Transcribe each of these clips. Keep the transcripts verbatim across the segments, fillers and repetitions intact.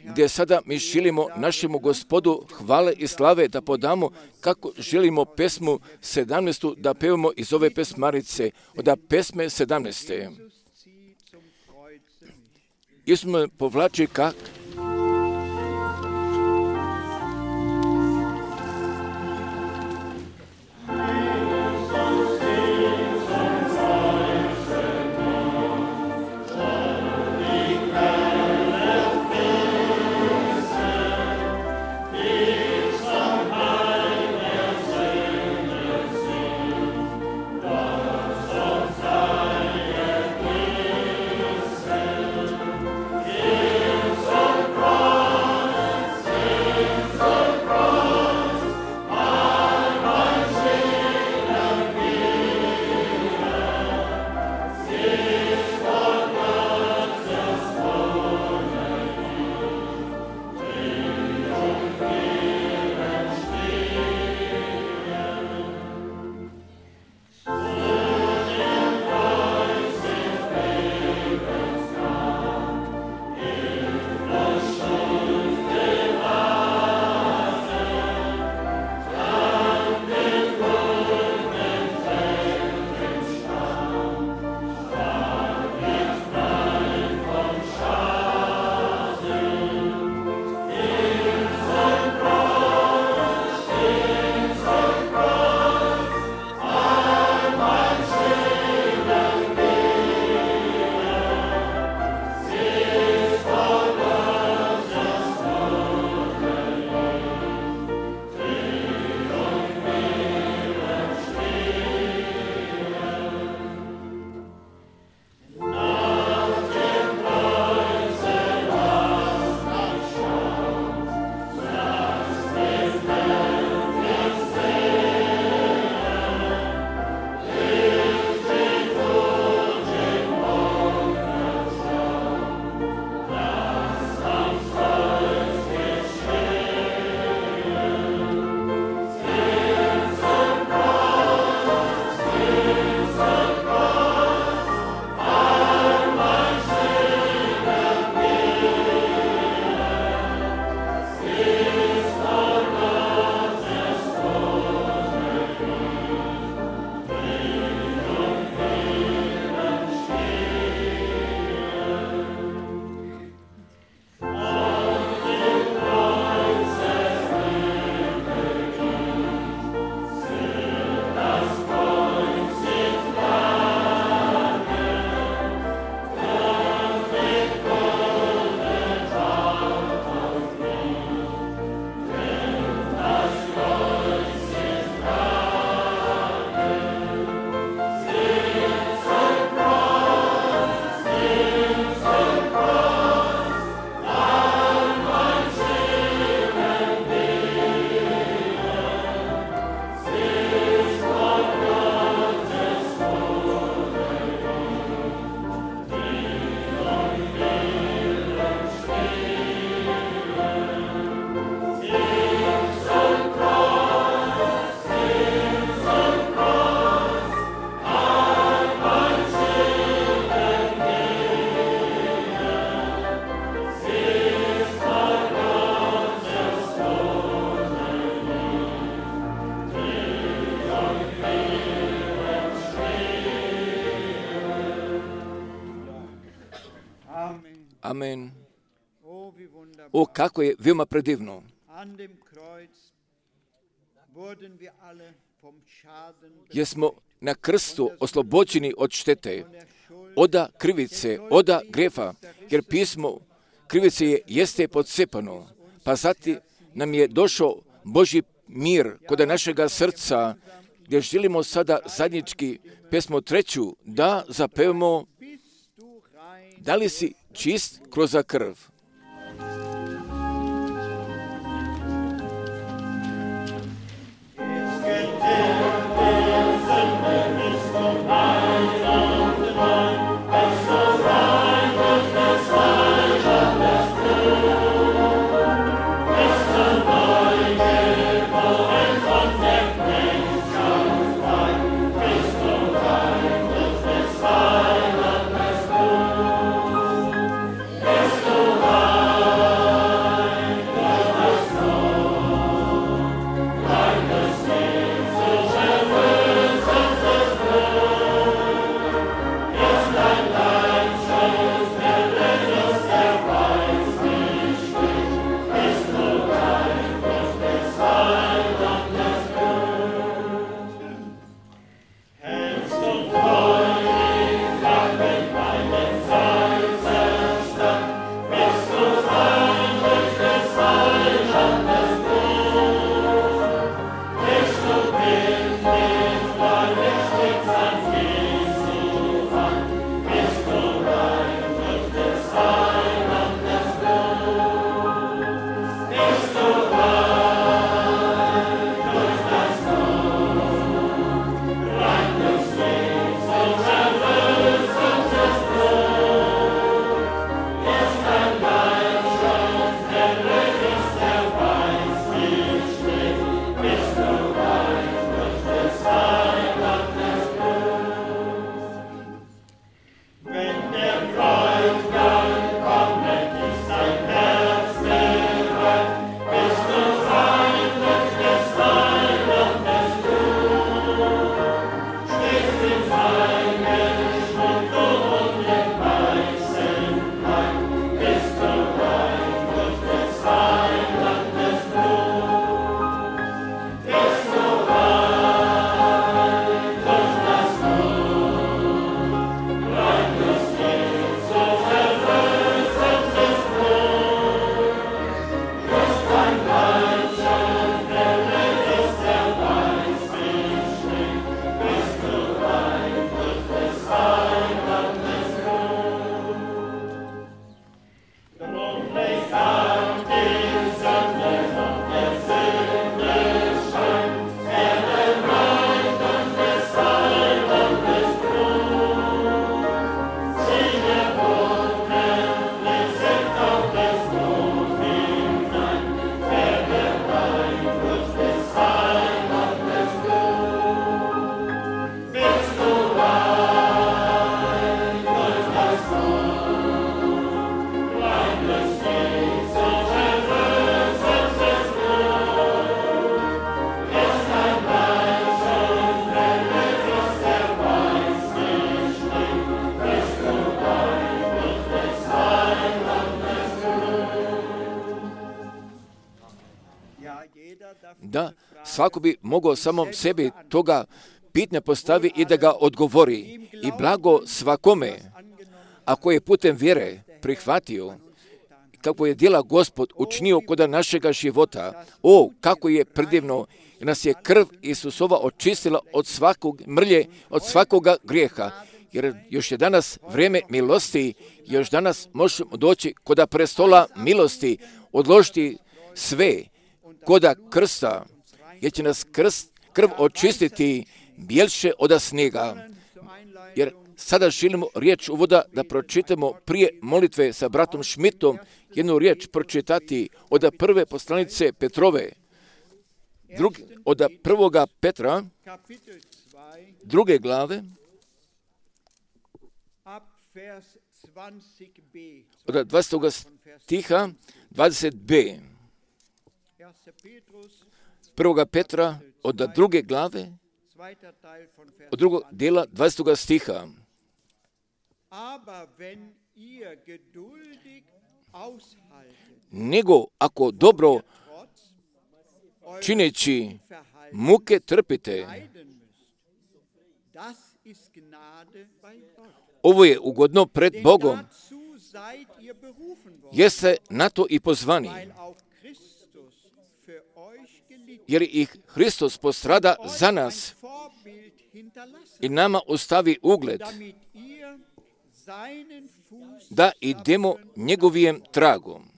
gdje sada mi želimo našemu Gospodu hvale i slave da podamo, kako želimo pesmu sedamnaestu da pevamo iz ove pesmarice, od pesme sedamnaeste. Isus me povlači kak Amen. O, kako je veoma predivno. Jer smo na krstu oslobođeni od štete, oda krivice, oda grefa, jer pismo krivice je, jeste podsepano, pa zatim nam je došao Božji mir kod našega srca, gdje želimo sada zajednički pesmu treću da zapevamo da li si čist kroz krv. Bist du da svako bi mogao samom sebi toga pitanja postavi i da ga odgovori. I blago svakome, ako je putem vjere prihvatio, kako je djela Gospod učinio kod našega života. O, kako je predivno, jer nas je krv Isusova očistila od svakog mrlje, od svakoga grijeha. Jer još je danas vrijeme milosti, još danas možemo doći koda prestola milosti, odložiti sve koda krsta, jer će nas krst, krv očistiti bjelše od snijega. Jer sada želimo riječ uvoda da pročitamo prije molitve sa bratom Šmitom, jednu riječ pročitati od prve poslanice Petrove, drug, od prvoga Petra, druge glave, od dvadesetog stiha, dvadeset b. Prvoga Petra, od druge glave, od drugog dijela, dvadesetog stiha. Nego ako dobro čineći muke trpite, ovo je ugodno pred Bogom, jeste na to i pozvani, jer ih Hristos postrada za nas i nama ostavi ugled, da idemo njegovijem tragom,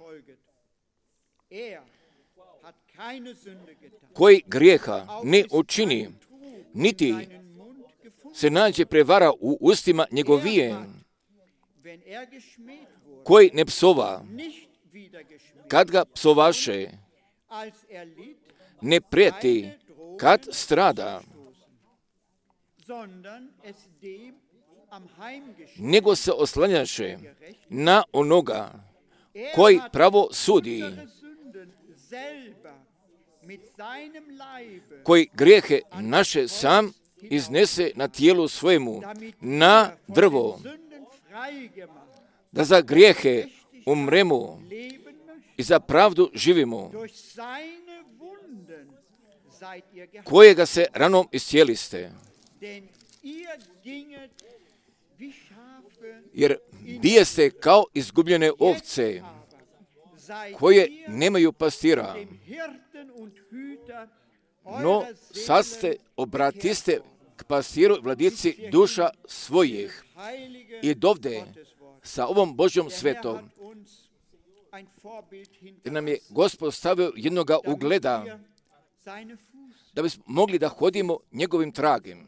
koji grijeha ne učini, niti se nađe prevara u ustima njegovijem, koji ne psova, kad ga psovaše, ne prijeti, kad strada, nego se oslanjaše na onoga koji pravo sudi, koji grijehe naše sam iznese na tijelu svojemu, na drvo, da za grijehe umremo i za pravdu živimo, kojega se ranom iscijeliste. Jer bijeste kao izgubljene ovce, koje nemaju pastira, no sad ste obratiste k pastiru vladici duša svojih. I dovde sa ovom Božjom svetom, jer nam je Gospod stavio jednoga ugleda, da bismo mogli da hodimo njegovim tragem.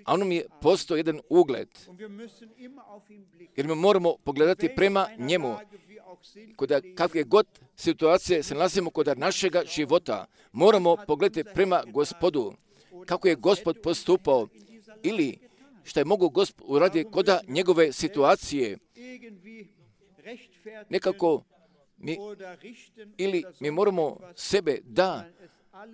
A on nam je postao jedan ugled, jer mi moramo pogledati prema njemu. Kod kakve god situacije se nalazimo kod našega života, moramo pogledati prema Gospodu, kako je Gospod postupao, ili što je mogu Gospod uraditi kod njegove situacije. Nekako mi, ili mi moramo sebe da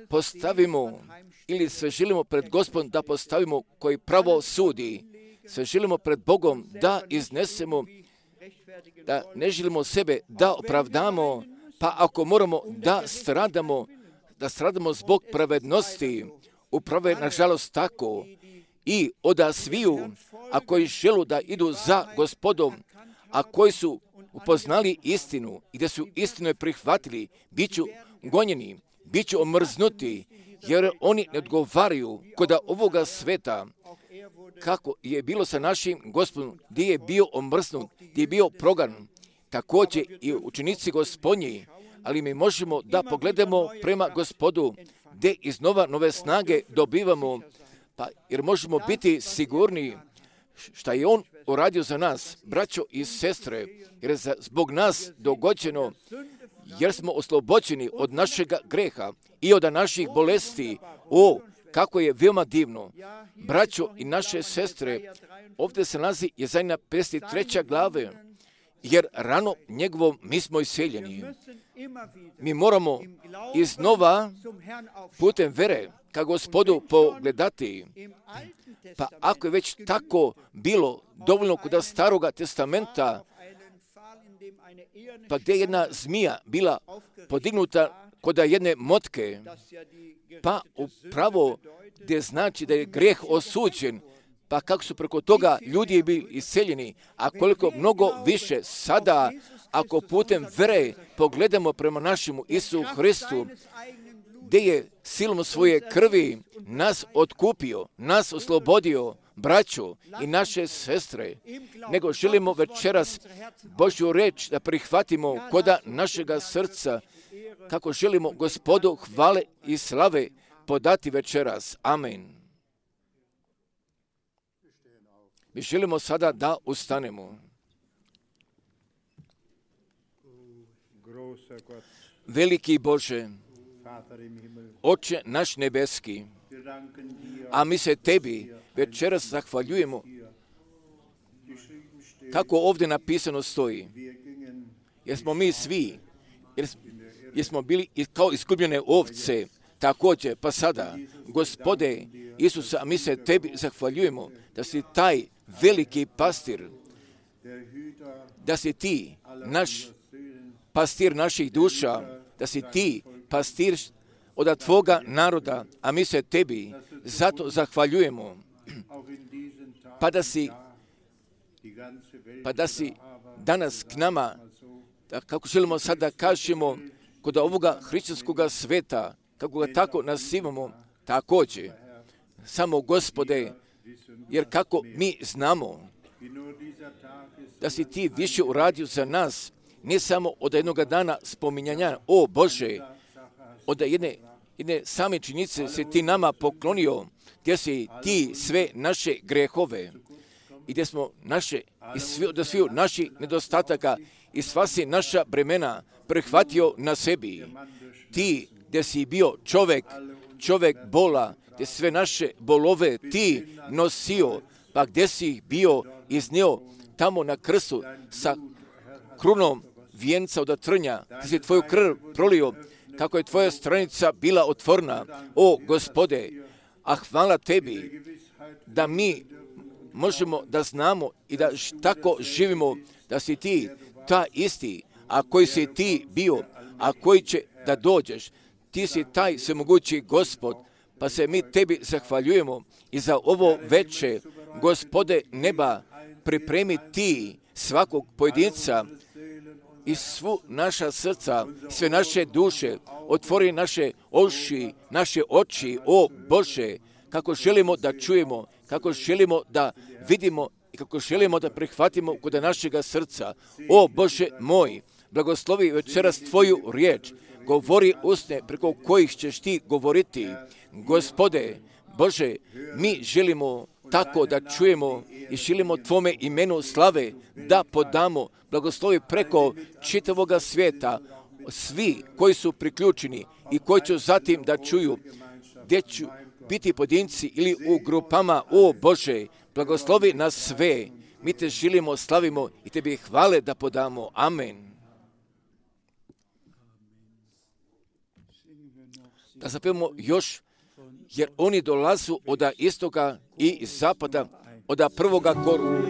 postavimo, ili sve želimo pred Gospodom da postavimo koji pravo sudi, sve želimo pred Bogom da iznesemo, da ne želimo sebe da opravdamo, pa ako moramo da stradamo, da stradamo zbog pravednosti, upravo je nažalost tako, i oda sviju, a koji želu da idu za Gospodom, a koji su upoznali istinu i da su istinu prihvatili, bit ću gonjeni, bit ću omrznuti, jer oni ne odgovaraju kod ovoga sveta, kako je bilo sa našim Gospodom, gdje je bio omrznut, gdje je bio progan, također i učenici Gospodnji, ali mi možemo da pogledamo prema Gospodu, gdje iznova nove snage dobivamo, pa jer možemo biti sigurni šta je On uradio za nas, braćo i sestre, jer je zbog nas dogođeno, jer smo oslobođeni od našega greha i od naših bolesti. O, kako je veoma divno. Braćo i naše sestre, ovdje se nalazi Jezajna pedeset treća glave, jer rano njegovom mi smo iseljeni. Mi moramo iznova putem vere ka Gospodu pogledati. Pa ako je već tako bilo dovoljno kod staroga testamenta, pa gdje je jedna zmija bila podignuta kod jedne motke, pa upravo gdje znači da je grijeh osuđen, pa kako su preko toga ljudi bili isceljeni, a koliko mnogo više sada, ako putem vere pogledamo prema našemu Isu Hristu, gdje je silom svoje krvi nas otkupio, nas oslobodio, braću i naše sestre, nego želimo večeras Božju reč da prihvatimo koda našega srca, kako želimo Gospodu hvale i slave podati večeras. Amen. Mi želimo sada da ustanemo. Veliki Bože, Oče naš nebeski, a mi se Tebi večeras zahvaljujemo, kako ovdje napisano stoji, jer smo mi svi, jer, jer smo bili kao izgubljene ovce, također, pa sada, Gospode Isusa, a mi se Tebi zahvaljujemo, da si taj veliki pastir, da si Ti, naš pastir naših duša, da si Ti pastir od Tvoga naroda, a mi se Tebi zato zahvaljujemo, pa da si, pa da si danas k nama, da kako želimo sad da kažemo, kod ovoga hrišćanskog sveta, kako ga tako nazivamo, također, samo Gospode, jer kako mi znamo da si Ti više uradio za nas, ne samo od jednoga dana spominjanja, o Bože, od jedne, jedne same činjenice se Ti nama poklonio, gdje si Ti sve naše grehove i gdje smo naše, i svi, od svih naših nedostataka i sva si naša bremena prihvatio na sebi. Ti gdje si bio čovjek, čovjek bola, gdje sve naše bolove Ti nosio, pa gdje si bio iznio tamo na krstu sa krunom vijenca od trnja, gdje si Tvoju krv prolio, kako je Tvoja stranica bila otvorena, o Gospode, a hvala Tebi da mi možemo da znamo i da tako živimo, da si Ti ta isti, a koji si Ti bio, a koji će da dođeš. Ti si taj svemogući Gospod, pa se mi Tebi zahvaljujemo i za ovo veče, Gospode neba, pripremi Ti svakog pojedinca i svu naša srca, sve naše duše, otvori naše uši, naše oči, o Bože, kako želimo da čujemo, kako želimo da vidimo i kako želimo da prihvatimo kod našega srca. O Bože moj, blagoslovi večeras Tvoju riječ, govori usne preko kojih ćeš Ti govoriti. Gospode, Bože, mi želimo tako da čujemo i želimo Tvome imenu slave da podamo. Blagoslovi preko čitavoga svijeta, svi koji su priključeni i koji će zatim da čuju, gdje ću biti pojedinci ili u grupama, o Bože, blagoslovi nas sve. Mi Te želimo, slavimo i Tebi hvale da podamo. Amen. Da zapevamo još, jer oni dolazu od istoga i zapada, od prvoga koru.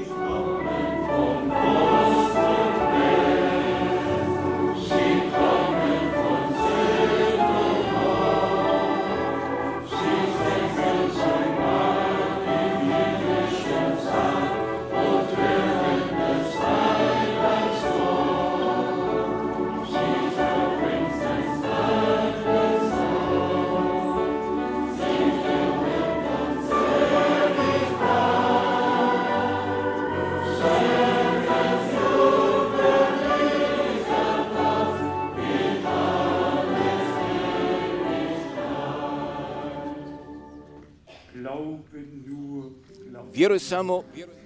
Vjeruj samo, Amen.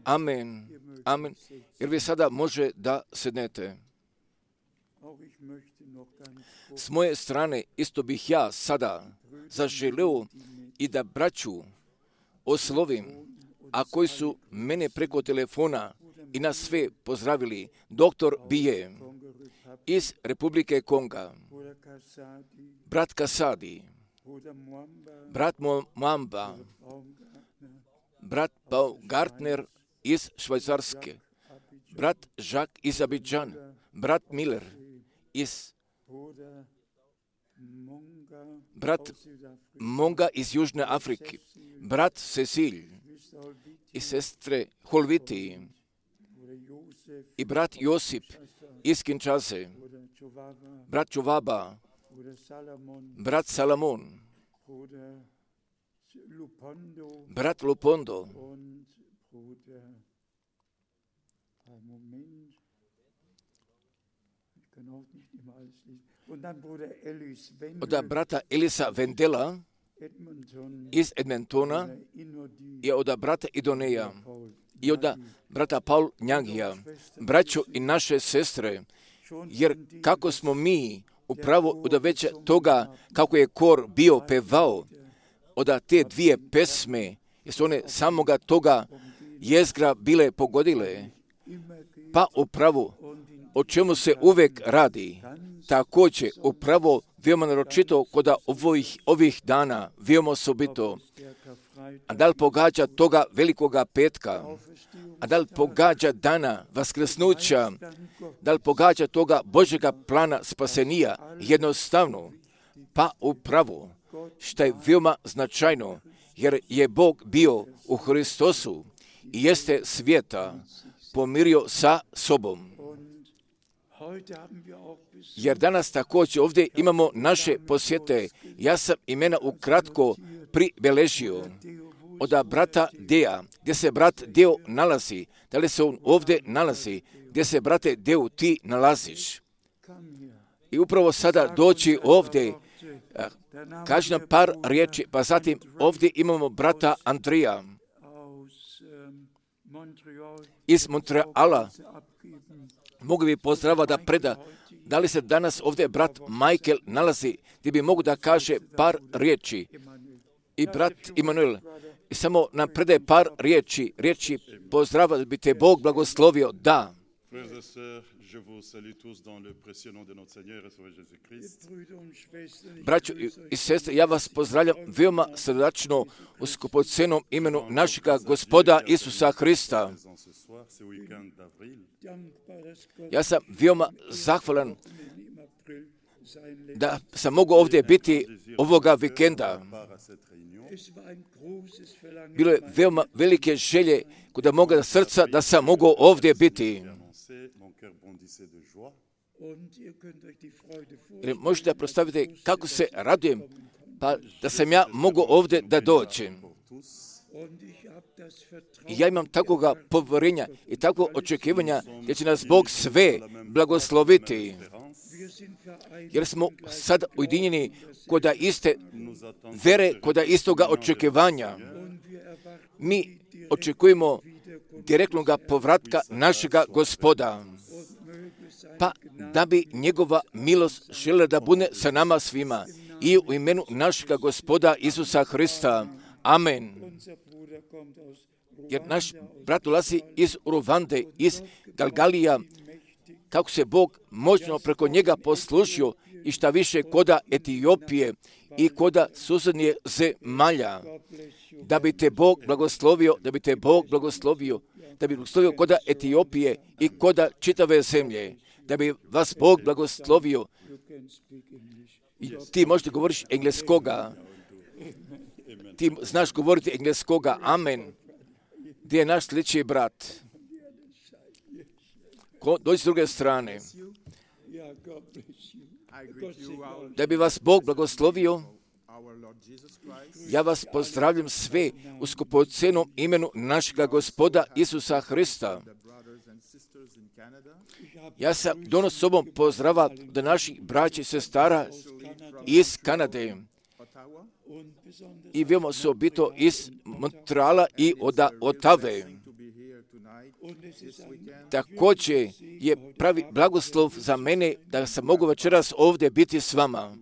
Amen. Amen. Jer vi sada može da sednete. S moje strane isto bih ja sada zaželeo i da braću oslovim, a koji su mene preko telefona i nas sve pozdravili. Doktor Bije iz Republike Konga, brat Kasadi, brat Mwamba, brat Baumgartner iz Švajcarske, brat Jacques iz Abidjan, brat Miller iz brat Monga iz Južne Afrike, brat Cecil i sestre Holviti i brat Josip iz Kinshase, brat Čuvaba, brat Salamon, brat Lupondo, od brata Elisa Vendela iz Edmontona i od brata Idoneja i od brata Paul Njangija, braćo i naše sestre, jer kako smo mi upravo od već toga kako je kor bio pevao, od te dvije pesme, jer su one samoga toga jezgra bile pogodile, pa upravo o čemu se uvek radi, također upravo veoma naročito kod ovih, ovih dana, veoma osobito, a da li pogađa toga velikoga petka, a da li pogađa dana vaskrsnuća, da li pogađa toga Božjega plana spasenija, jednostavno, pa upravo, što je veoma značajno, jer je Bog bio u Hristosu i jeste svijeta pomirio sa sobom. Jer danas također ovdje imamo naše posjete. Ja sam imena ukratko pribeležio od brata Deja, gdje se brat Deo nalazi. Da li se on ovdje nalazi? Gdje se, brate Deo, ti nalaziš? I upravo sada doći ovdje, kaži nam par riječi, pa zatim ovdje imamo brata Andrija iz Montreala. Mogu bi pozdrava da preda. Da li se danas ovdje brat Michael nalazi, gdje bi mogu da kaže par riječi? I brat Immanuel. I samo nam predaje par riječi, riječi pozdrava da bi te Bog blagoslovio. Da. Braćo i sestre, ja vas pozdravljam veoma srdačno u skupocenom imenu našega Gospoda Isusa Hrista. Ja sam veoma zahvalan da sam mogu ovdje biti ovoga vikenda. Bilo je veoma velike želje kod moga srca da sam mogu ovdje biti. Jer možete predstaviti kako se radujem, pa da sam ja mogu ovdje da dođem. I ja imam takvoga povjerenja i takvo očekivanja gdje će nas Bog sve blagosloviti. Jer smo sad ujedinjeni kod iste vere, kod istoga očekivanja. Mi očekujemo direktnog povratka našega Gospoda. Pa da bi njegova milost željela da bude sa nama svima. I u imenu našega Gospoda Isusa Hrista. Amen. Jer naš brat dolazi iz Ruande, iz Galgalija, kako se Bog moćno preko njega poslužio i šta više koda Etiopije i koda susjednje zemalja. Da bi te Bog blagoslovio, da bi te Bog blagoslovio, da bi blagoslovio koda Etiopije i koda čitave zemlje. Da bi vas Bog blagoslovio. I ti možete govoriti engleskoga. Ti znaš govoriti engleskoga. Amen. Gdje je naš sljedeći brat? Ko, dođi s druge strane. Da bi vas Bog blagoslovio, ja vas pozdravljam sve u skupocenom imenu našega Gospoda Isusa Hrista. Ja sam donos sobom pozdrava do naših braća i sestara iz Kanade i veoma osobito iz Montreala i od Otave. Također je pravi blagoslov za mene da sam mogu večeras ovdje biti s vama.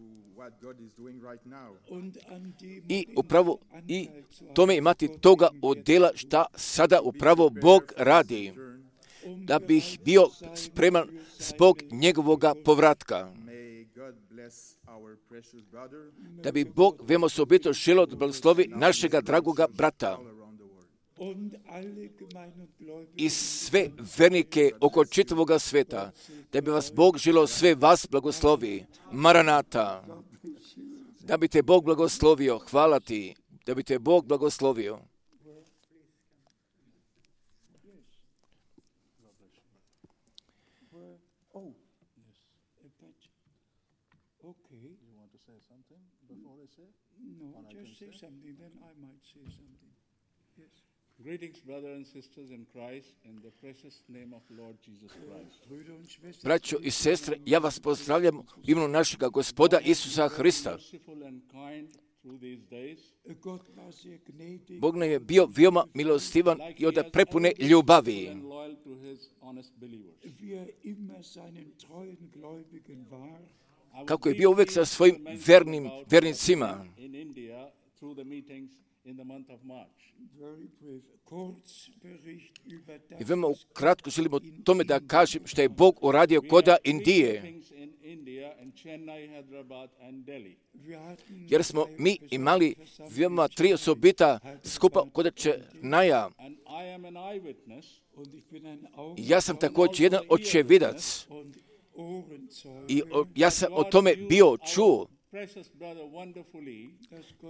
I upravo i tome imati toga odjela šta sada upravo Bog radi, da bih bio spreman zbog njegovoga povratka. Da bi Bog veoma osobito želio da blagoslovi našega dragoga brata i sve vernike oko čitavoga sveta, da bi vas Bog želio sve vas blagoslovi. Maranata. Da bi te Bog blagoslovio. Hvala ti. Da bi te Bog blagoslovio. Greetings, brothers and sisters in Christ, in the precious name of Lord Jesus Christ. Braćo i sestre, ja vas pozdravljam u imenu našega Gospoda Isusa Hrista. Bog nam je bio veoma milostivan i od prepune ljubavi. Kako je bio uvijek sa svojim vernim vernicima. I veoma ukratko želimo tome da kažem što je Bog uradio koda Indije. Jer smo mi imali veoma tri osobita skupa koda Černaja. Ja sam također jedan očevidac. I o, ja sam o tome bio čuo.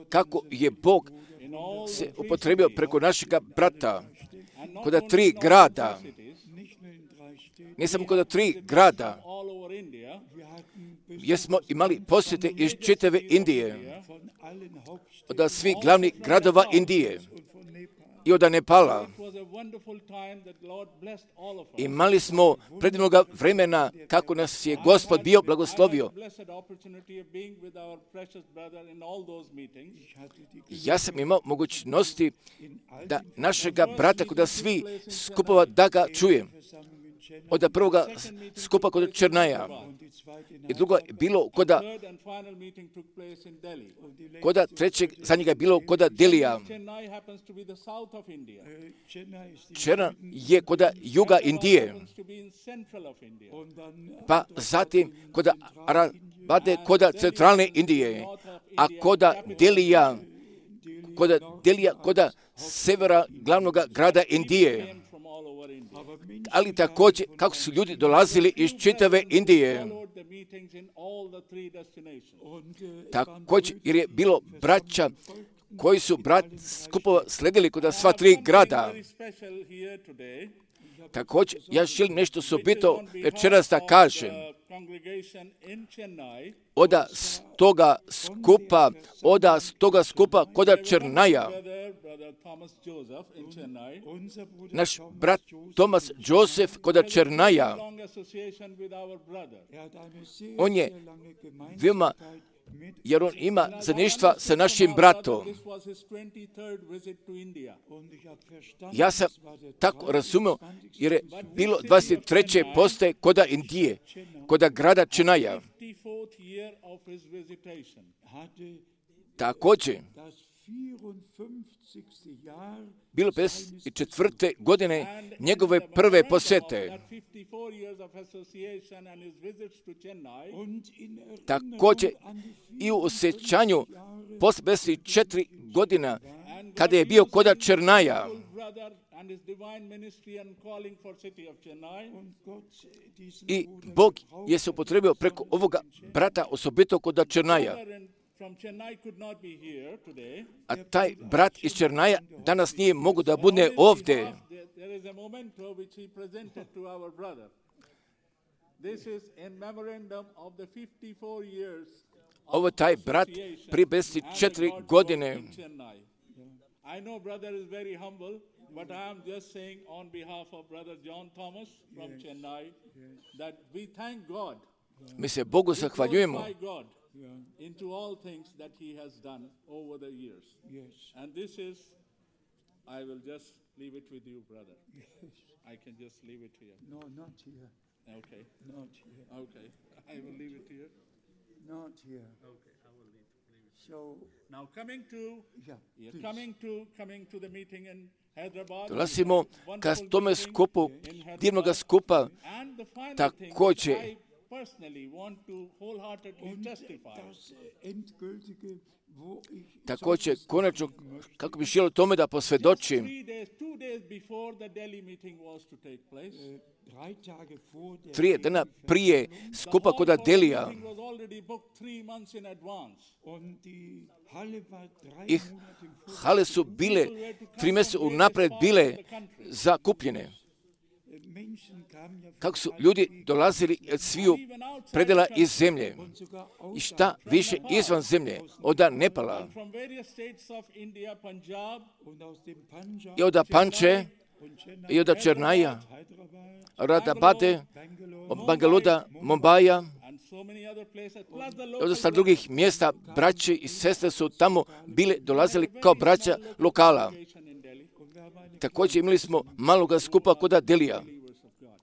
Kako je Bog se upotrebio preko našega brata koda tri grada, ne samo koda tri grada, gdje smo imali posjete iz čitave Indije, od svih glavnih gradova Indije i od Nepala. Imali smo predivnoga vremena kako nas je Gospod bio blagoslovio. Ja sam imao mogućnosti da našega brata kod svi skupova da ga čujem. Od prvoga skupa kod Černaja i drugo je bilo koda koda trećeg za njega je bilo koda Delija. Černa je koda juga Indije, pa zatim koda Arabade koda centralne Indije, a koda Delija koda Delija koda severa glavnog grada Indije. Ali također kako su ljudi dolazili iz čitave Indije. Također jer je bilo braća koji su brat skupova sledili kod sva tri grada. Također ja želim nešto osobito večeras da kažem. Oda stoga skupa, oda stoga skupa koda Černaja. Naš brat Thomas Joseph koda Černaja. On je veoma, jer on ima zajedništva sa našim bratom. Ja sam tako razumio, jer je bilo dvadeset treće postaje koda Indije, koda grada Černaja. Također, bilo pedeset četvrte godine njegove prve posjete. Također i u osjećanju posle pedeset četiri godina kada je bio koda Černaja. I Bog je se upotrebio preko ovoga brata osobito koda Černaja. A taj brat iz Černaja danas nije mogu da bude ovdje. Ovo je taj brat prije pedeset četiri godine. But I am just saying on behalf of brother John Thomas from Chennai that we thank God. Mi se Bogu zahvaljujemo into all things that he has done over the years. Yes. And this is, I will just leave it with you, brother. Yes. I can just leave it here. No, not here. Okay. Not here. Okay. I will leave it here. Not here. Okay. I will leave, leave it. So, Now coming to, yeah, yeah, please. coming to, coming to the meeting in Hyderabad. Dolazimo ka Wonderful tome meeting skupu, in Hyderabad. divnoga skupa, And the final također thing, I personally want to wholeheartedly Und testify. das Endgültige, wo ich također solches konačno, sagen möchte, kako bi želio tome da Just posvjedočim, three days, two days before the Delhi meeting was to take place, äh, drei Tage vor der tri dana prije the skupa hall kod for the Adelija, meeting was already booked three months in advance. und die Halle war drei ih Monate im Voraus. hale su bile tri mjeseca unapred bile zakupljene. Menschen kamen ja von Kako su allen ljudi Gegenden dolazili od sviju predela iz zemlje und sogar i šta više izvan zemlje, od Nepala And from various states of India, Punjab, und aus dem Punjab i od Panče und Chennai, i od Černaja, Hyderabad, Radabade, Bangalore, Bangaluda, Mumbaja and so many other places, plus the i local od sa drugih mjesta. Braće i sestre su tamo bile dolazili kao braća lokala. congregation in Delhi, und wir haben eine Također imali smo maloga skupa kod Adelija. believers of God.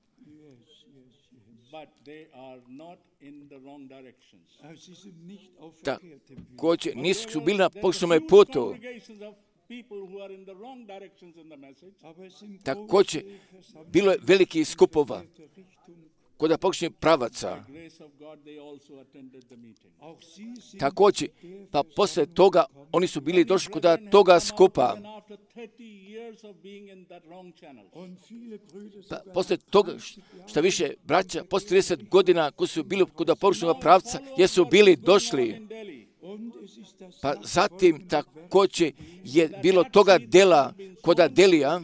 But they are not in the wrong directions. aber sie sind nicht auf Ta- verkehrtem Weg. Također But nisu there bili was- na there were pogrešnome huge putu. congregations of people who are in the wrong directions in the message. Aber es sind Također große Versammlungen bilo je velikih skupova in der Richtung. kod pogrešnih pravaca. Grace of God, they also attended the meeting. Auch sie sind Također, pa poslije toga oni su bili došli kod toga skupa. Even after thirty years of being in that wrong channel. und viele Brüder Pa sogar poslije toga, šta više, braća, poslije trideset godina koji su bili kod pogrešnog pravca, jesu bili došli. In Delhi. und es ist das Pa zatim također je bilo toga dela kod Adelija,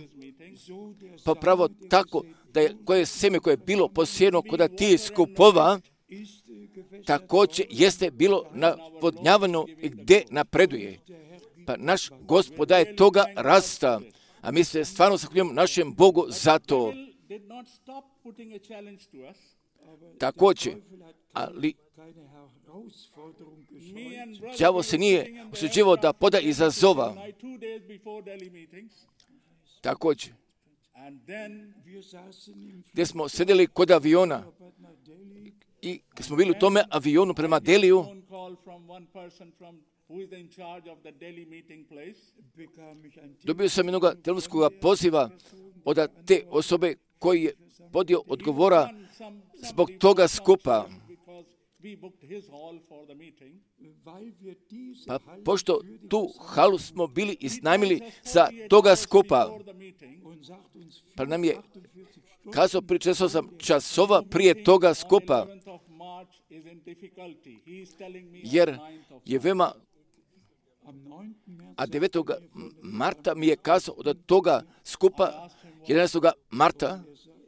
so der pa pravo tako da je koje seme koje je bilo posijeno kod tih skupova, ist äh, gewässert također jeste bilo navodnjavano i gdje napreduje. Pa naš Gospod daje toga rasta, a mi se stvarno zahvaljujemo našem Bogu za to. Devil did not stop putting a challenge to us. Također, Teufel hat ali keine Herausforderung Me gescheut. and brother đavo we se were nije sitting in the usuđivao da aircraft poda together izazova. tonight, two days before Delhi meetings. Također, And then Wir saßen im gdje smo sedjeli kod aviona Flugzeug nach Delhi. i kad smo bili u tome avionu prema Deliju, phone call from one person from who is in charge of the Delhi meeting place. Bekam ich ein dobio sam jednog telefonskog poziva od te osobe koji je podio odgovora And some, zbog somebody toga was not skupa. sure because we booked his hall for the meeting. weil wir diese Pa Halle pošto für die tu halu smo bili iznajmili Tells us za forty-eight toga hours skupa, before the meeting, und sagt uns pa nam je achtundvierzig Stunden kazao prije četrdeset časova prije toga skupa, on eleventh of March is in difficulty. He is telling me on jer ninth of je veoma, am neunten März a devetog marta mi je kazao od toga skupa, jedanaestog marta,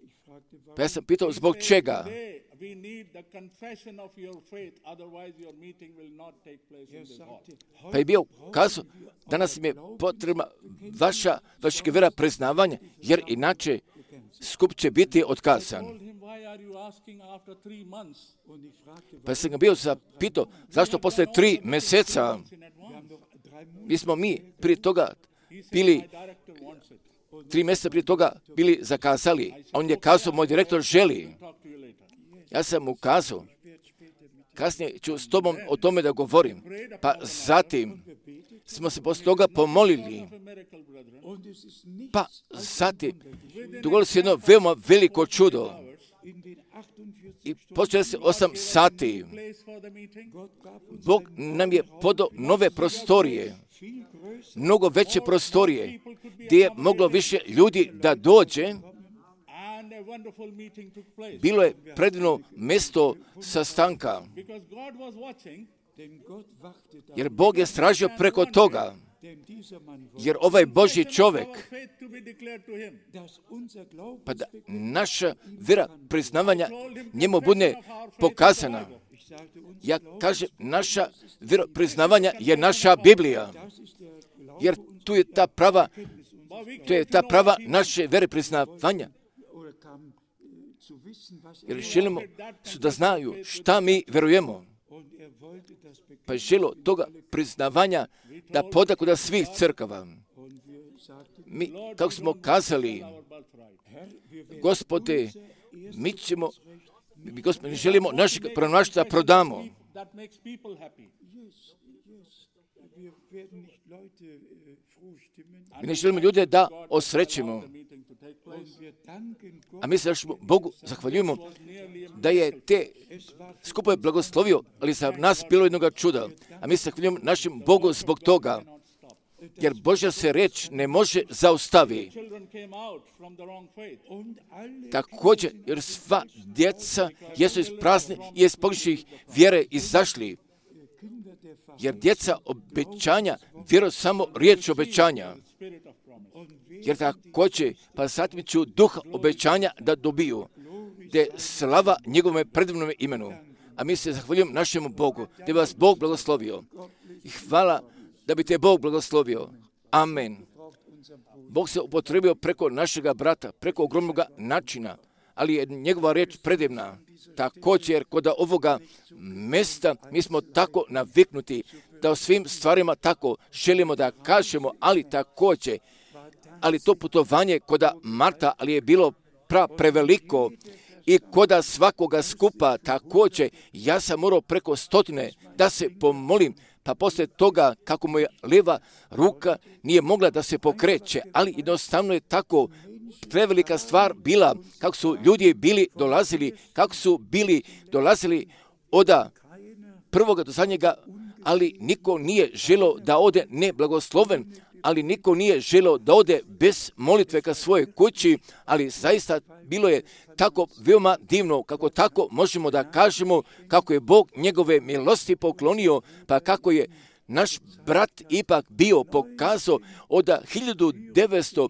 ich fragte, warum pa ja sam pitao zbog čega. Today, we need the confession of your faith, otherwise your meeting will not take place in er this hall. sagte, Pa je bio kazao, danas mi je potrebna vaša, vaša vera priznavanja, jer inače skup će biti otkazan. Told him, why are you asking after three months und ich fragte, Pa sam ga bio zapitao, zašto posle tri mjeseca, in advance? noch drei Monate mi smo mi prije toga He said, bili, my director wants it. tri mjeseca prije toga bili zakazali. A on je kazao, moj direktor želi. Talk to you later. Ja sam mu kazao, kasnije ću s tobom o tome da govorim. Pa zatim smo se posle toga pomolili. A miracle, brethren. und es ist nicht Pa zatim dogodilo se jedno veoma veliko čudo. in den achtundvierzig I počeli se osam sati. Place for the meeting. Gott gab uns Bog nam je podao nove prostorije, viel größer mnogo veće prostorije, gdje je moglo više ljudi da dođe. And a wonderful meeting took place. Bilo je predivno mjesto sastanka, Because God was watching, denn Gott wachte da, jer Bog je stražio preko toga, denn dieser Mann wollte, jer ovaj Božji čovjek, our faith to be declared to him. dass unser pa da Glaubensbekenntnis, naša vera priznavanja njemu bude pokazana. ich sagte uns, Ja kažem, naša vera priznavanja je naša Biblija, das ist der Glaube jer tu je ta prava, But we to je ta prava naše vere priznavanja, oder kam äh, zu wissen, was jer er želimo su da znaju šta mi verujemo. und er pa je želo toga priznavanja da podaku da svih crkava. Mi, kako smo kazali, Gospode, mi ćemo, mi, Gospode, želimo našeg pronašta prodamo. Mi ne želimo ljude da osrećemo. A mi se Bogu zahvaljujemo da je te skupove blagoslovio, ali za nas bilo jednoga čuda. A mi se zahvaljujemo našem Bogu zbog toga, jer Božja se reč ne može zaustaviti. Također, jer sva djeca jesu iz prazne i iz pogrešnih vjere izašli. Jer djeca obećanja vjeruju samo riječ obećanja. Jer također, pa zatim ću duha obećanja da dobiju, da je slava njegovome predivnome imenu. A mi se zahvaljujemo našemu Bogu, da bi vas Bog blagoslovio. I hvala da bi te Bog blagoslovio. Amen. Bog se upotrebio preko našega brata, preko ogromnog načina, ali je njegova riječ predivna. Također, kod ovoga mjesta mi smo tako naviknuti da o svim stvarima tako želimo da kažemo, ali također, ali to putovanje kod Marta, ali je bilo pra preveliko i kod svakoga skupa također, ja sam morao preko stotine da se pomolim, pa poslije toga kako mu je lijeva ruka nije mogla da se pokreće, ali jednostavno je tako prevelika stvar bila, kako su ljudi bili dolazili, kako su bili dolazili od prvoga do zadnjega, ali niko nije želio da ode neblagosloven, ali niko nije želio da ode bez molitve ka svojoj kući, ali zaista bilo je tako veoma divno, kako tako možemo da kažemo kako je Bog njegove milosti poklonio, pa kako je naš brat ipak bio pokazao od hiljadu devetsto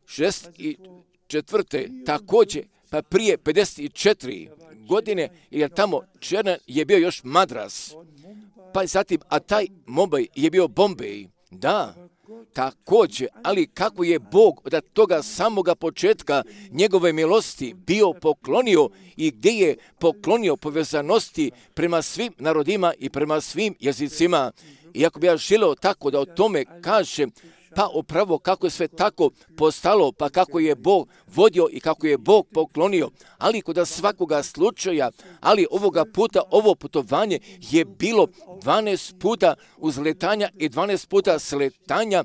šezdeset četvrte također, pa prije pedeset četiri godine, jer tamo Černan je bio još Madras, pa zatim, a taj Mumbai je bio Bombay. Da, također, ali kako je Bog od toga samoga početka njegove milosti bio poklonio i gdje je poklonio povezanosti prema svim narodima i prema svim jezicima. Iako bi ja želio tako da o tome kažem, pa upravo kako je sve tako postalo, pa kako je Bog vodio i kako je Bog poklonio, ali kod svakoga slučaja, ali ovoga puta ovo putovanje je bilo dvanaest puta uzletanja i dvanaest puta sletanja,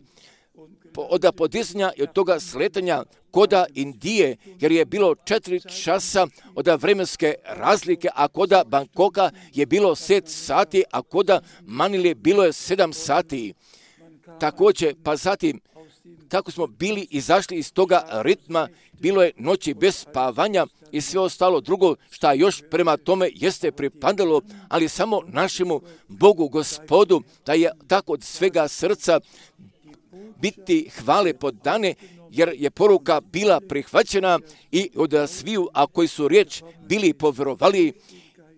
od podizanja i od toga sletanja koda Indije, jer je bilo četiri časa od vremenske razlike, a koda Bangkoka je bilo sedam sati, a koda Manile bilo je sedam sati. Također, pa zatim, kako smo bili izašli iz toga ritma, bilo je noći bez spavanja i sve ostalo drugo šta još prema tome jeste pripadalo, ali samo našemu Bogu Gospodu, da je tako od svega srca biti hvale podane, jer je poruka bila prihvaćena i od sviju, a koji su riječ bili povjerovali,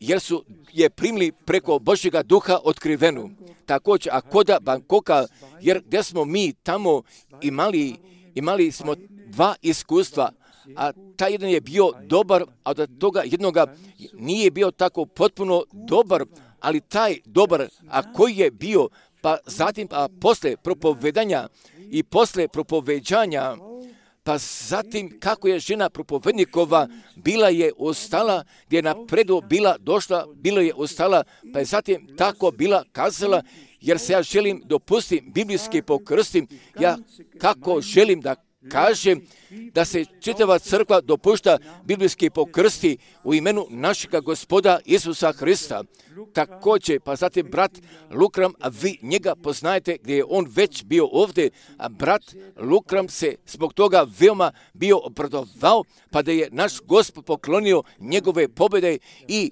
jer su je primili preko Božjega duha otkrivenu. Također, a koda Bangkoka, jer gdje smo mi tamo imali, imali smo dva iskustva, a taj jedan je bio dobar, a od toga jednoga nije bio tako potpuno dobar, ali taj dobar, a koji je bio, pa zatim, a posle propovedanja i posle propoveđanja, pa zatim kako je žena propovednikova bila je ostala, gdje je napredu bila došla, bila je ostala, pa je zatim tako bila kazala, jer se ja želim dopustiti biblijski pokrstim, ja kako želim da kažem da se čitava crkva dopušta biblijski pokrsti u imenu našega Gospoda Isusa Hrista. Također, pa zatim brat Lukram, a vi njega poznajete gdje je on već bio ovdje, a brat Lukram se zbog toga veoma bio obradovao, pa da je naš Gospod poklonio njegove pobjede i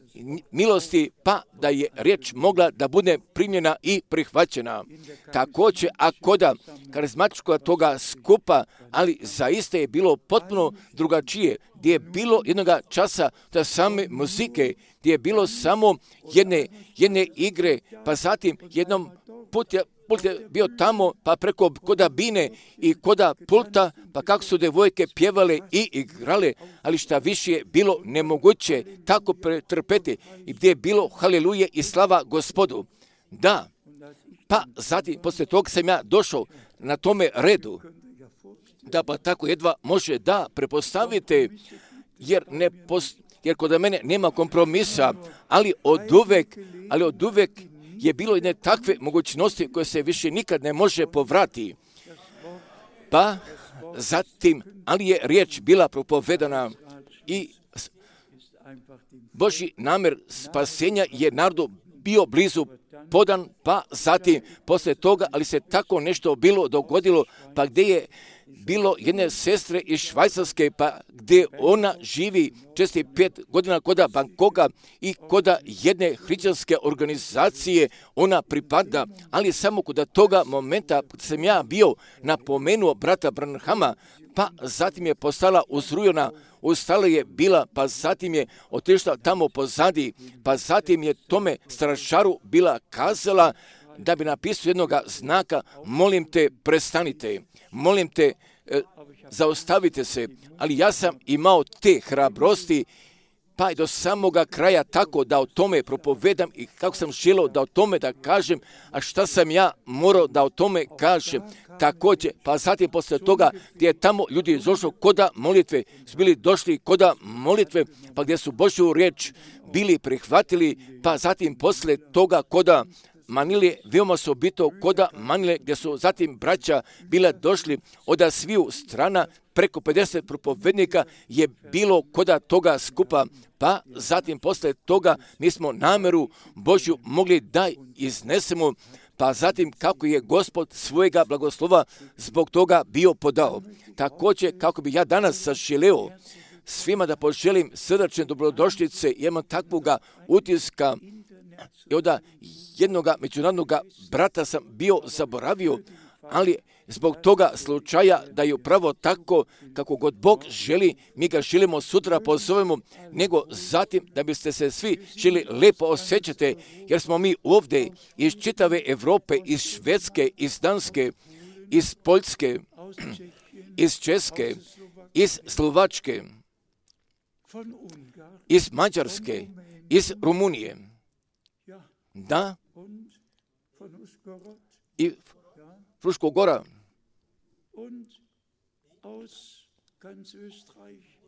milosti, pa da je riječ mogla da bude primljena i prihvaćena. Također, a koda karizmatičkoga toga skupa, ali ali zaista je bilo potpuno drugačije, gdje je bilo jednoga časa da same muzike, gdje je bilo samo jedne, jedne igre, pa zatim jednom put je, put je bio tamo, pa preko koda bine i koda pulta, pa kako su devojke pjevale i igrale, ali šta više je bilo nemoguće tako pretrpeti i gdje je bilo haleluje i slava Gospodu. Da, pa zatim, poslije toga sam ja došao na tome redu, da pa tako jedva može da prepostavite, jer, ne post, jer kod mene nema kompromisa, ali od uvek, ali od uvek je bilo jedne takve mogućnosti koje se više nikad ne može povrati. Pa zatim, ali je riječ bila propovedana i Božji namjer spasenja je narodu bio blizu podan, pa zatim poslije toga, ali se tako nešto bilo dogodilo, pa gdje je bilo jedne sestre iz Švajcarske, pa gdje ona živi česti pet godina koda Bangkoka i koda jedne hrišćanske organizacije ona pripada, ali samo kod toga momenta sam ja bio napomenuo brata Branhama, pa zatim je postala uzrujena, ustala je bila, pa zatim je otišla tamo pozadi, pa zatim je tome stražaru bila kazala da bi napisao jednog znaka, molim te, prestanite, molim te, e, zaustavite se, ali ja sam imao te hrabrosti, pa i do samoga kraja tako da o tome propovedam i kako sam želio da o tome da kažem, a šta sam ja morao da o tome kažem. Također, pa zatim poslije toga gdje je tamo ljudi došli koda molitve, su bili došli koda molitve, pa gdje su Božju riječ bili prihvatili, pa zatim poslije toga koda Manile, veoma su bito koda Manile, gdje su zatim braća bila došli od sviju strana, preko pedeset propovednika je bilo koda toga skupa, pa zatim poslije toga mi smo namjeru Božju mogli da iznesemo, pa zatim kako je Gospod svojega blagoslova zbog toga bio podao. Također kako bi ja danas zaželeo svima da poželim srdačne dobrodošlice, imam takvoga utiska i od jednoga međunarodnog brata sam bio zaboravio, ali zbog toga slučaja da je upravo tako kako god Bog želi, mi ga želimo sutra pozovemo, nego zatim da biste se svi želi lepo osjećate, jer smo mi ovdje iz čitave Europe, iz Švedske, iz Danske, iz Poljske, iz Česke, iz Slovačke, iz Mađarske, iz Rumunije. Da, i Fruškog Gora,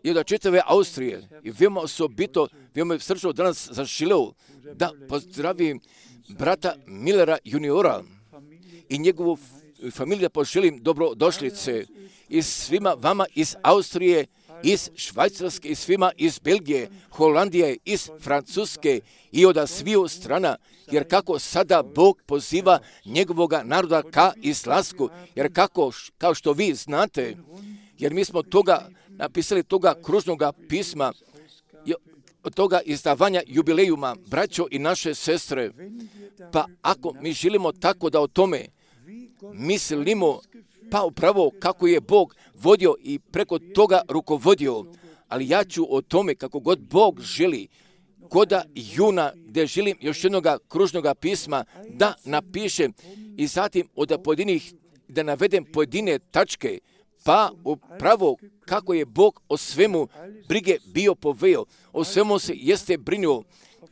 i od čitave Austrije, i veoma osobito, veoma srčno danas zaželeo da pozdravim brata Millera juniora i njegovu familiju da poželim dobrodošlice i svima vama iz Austrije, iz Švajcarske i svima iz Belgije, Holandije, iz Francuske i od sviju strana, jer kako sada Bog poziva njegovoga naroda ka izlasku, jer kako, kao što vi znate, jer mi smo toga napisali toga kružnoga pisma, od toga izdavanja jubilejuma, braćo i naše sestre, pa ako mi želimo tako da o tome mislimo, pa upravo kako je Bog vodio i preko toga rukovodio, ali ja ću o tome kako god Bog želi, koda juna gdje želim još jednog kružnog pisma da napišem i zatim od pojedinih da navedem pojedine tačke, pa upravo kako je Bog o svemu brige bio poveo, o svemu se jeste brinuo,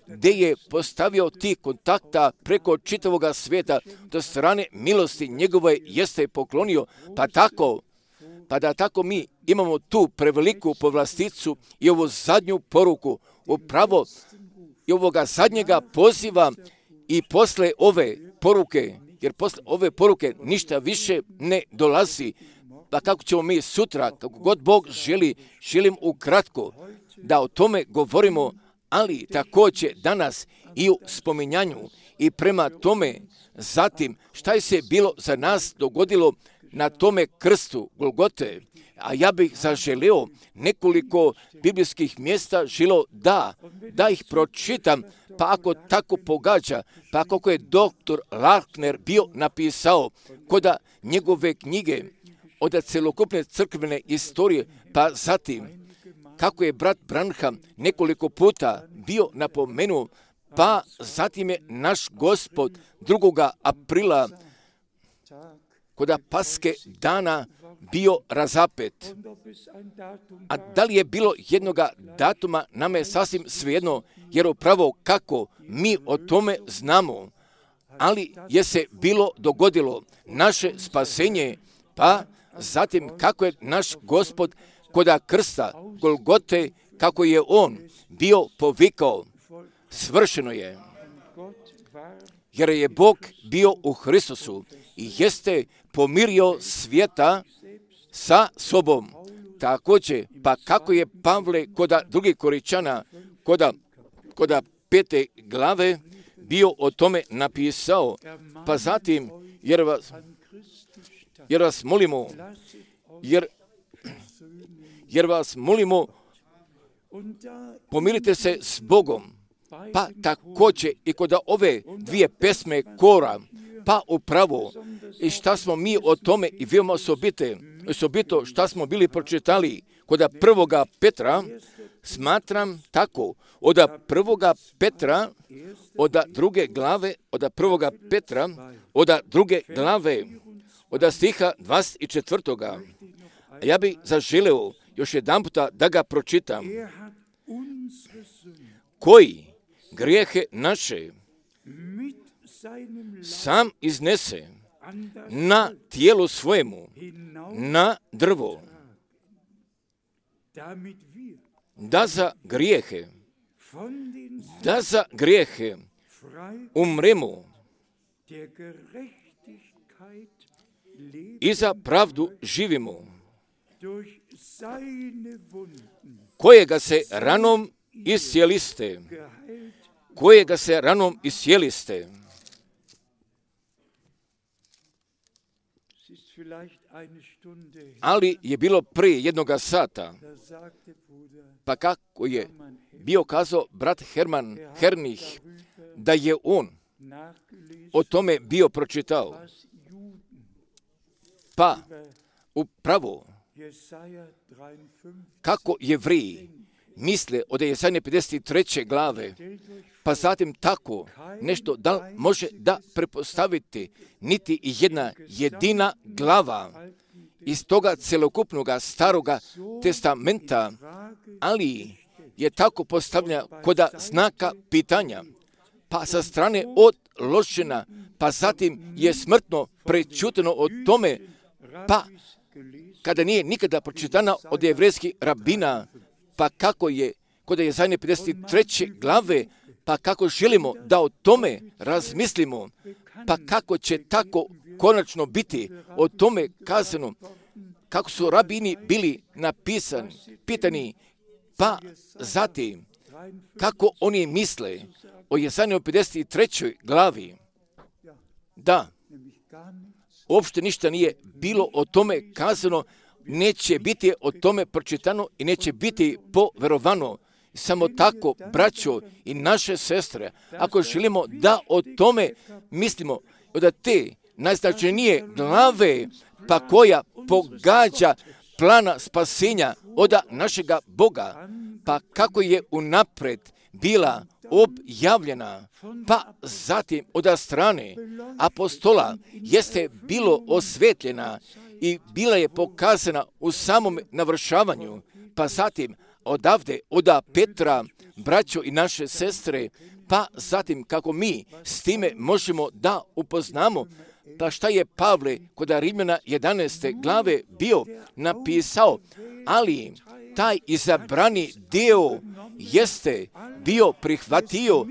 gdje je postavio ti kontakta preko čitavoga svijeta, do strane milosti njegove jeste poklonio, pa tako, pa da tako mi imamo tu preveliku povlasticu i ovu zadnju poruku, upravo i ovoga zadnjega poziva i posle ove poruke, jer posle ove poruke ništa više ne dolazi, pa kako ćemo mi sutra, kako god Bog želi, želim ukratko da o tome govorimo, ali također danas i u spominjanju i prema tome zatim šta je se bilo za nas dogodilo na tome krstu Golgote, a ja bih zaželio nekoliko biblijskih mjesta želio da, da ih pročitam, pa ako tako pogađa, pa kako je doktor Larkner bio napisao koda njegove knjige od celokupne crkvene istorije, pa zatim kako je brat Branham nekoliko puta bio napomenuo, pa zatim je naš Gospod drugoga aprila kod Paske dana bio razapet. A da li je bilo jednoga datuma, nama je sasvim svejedno, jer upravo kako mi o tome znamo, ali je se bilo dogodilo naše spasenje, pa zatim kako je naš Gospod koda krsta Golgote, kako je on bio povikao, svršeno je, jer je Bog bio u Hristusu i jeste pomirio svijeta sa sobom. Također, pa kako je Pavle koda drugih Koričana, koda, koda pete glave, bio o tome napisao, pa zatim, jer vas, jer vas molimo, jer, jer vas molimo, pomirite se s Bogom, pa također i kod ove dvije pesme kora, pa upravo, i šta smo mi o tome i veoma osobite, osobito šta smo bili pročitali kod prvoga Petra, smatram tako, od prvoga Petra, od druge glave, od prvoga Petra, od druge glave, od stiha dvadeset četvrtoga. Ja bih zaželeo još jedan puta da ga pročitam. Koji grijehe naše sam iznese na tijelu svojemu, na drvo, da za grijehe, da za grijehe umremo i za pravdu živimo, kojega se ranom iscijeliste, kojega se ranom iscijeliste. Ali je bilo prije jednoga sata, pa kako je bio kazao brat Herman Hernih, da je on o tome bio pročitao. Pa upravo kako Jevriji misle od Jesaje pedeset treće glave, pa zatim tako nešto da može da prepostaviti niti jedna jedina glava iz toga celokupnog staroga testamenta, ali je tako postavljena koda znaka pitanja, pa sa strane odložena, pa zatim je smrtno prečuteno o tome, pa kada nije nikada pročitana od jevrejskih rabina, pa kako je kod Jesaje pedeset treće glave, pa kako želimo da o tome razmislimo, pa kako će tako konačno biti o tome kazano, kako su rabini bili napisani, pitani, pa zatim kako oni misle o Jesaje pedeset trećoj glavi. Da, uopšte ništa nije bilo o tome kazano, neće biti o tome pročitano i neće biti poverovano. Samo tako, braćo i naše sestre, ako želimo da o tome mislimo, od te najznačajnije glave, pa koja pogađa plana spasenja od našega Boga, pa kako je unapred bila objavljena, pa zatim od strane apostola jeste bilo osvetljena i bila je pokazana u samom navršavanju, pa zatim odavde, od Petra, braćo i naše sestre, pa zatim kako mi s time možemo da upoznamo, pa šta je Pavle kod Rimljana jedanaeste glave bio napisao, ali taj izabrani dio jeste bio prihvatio,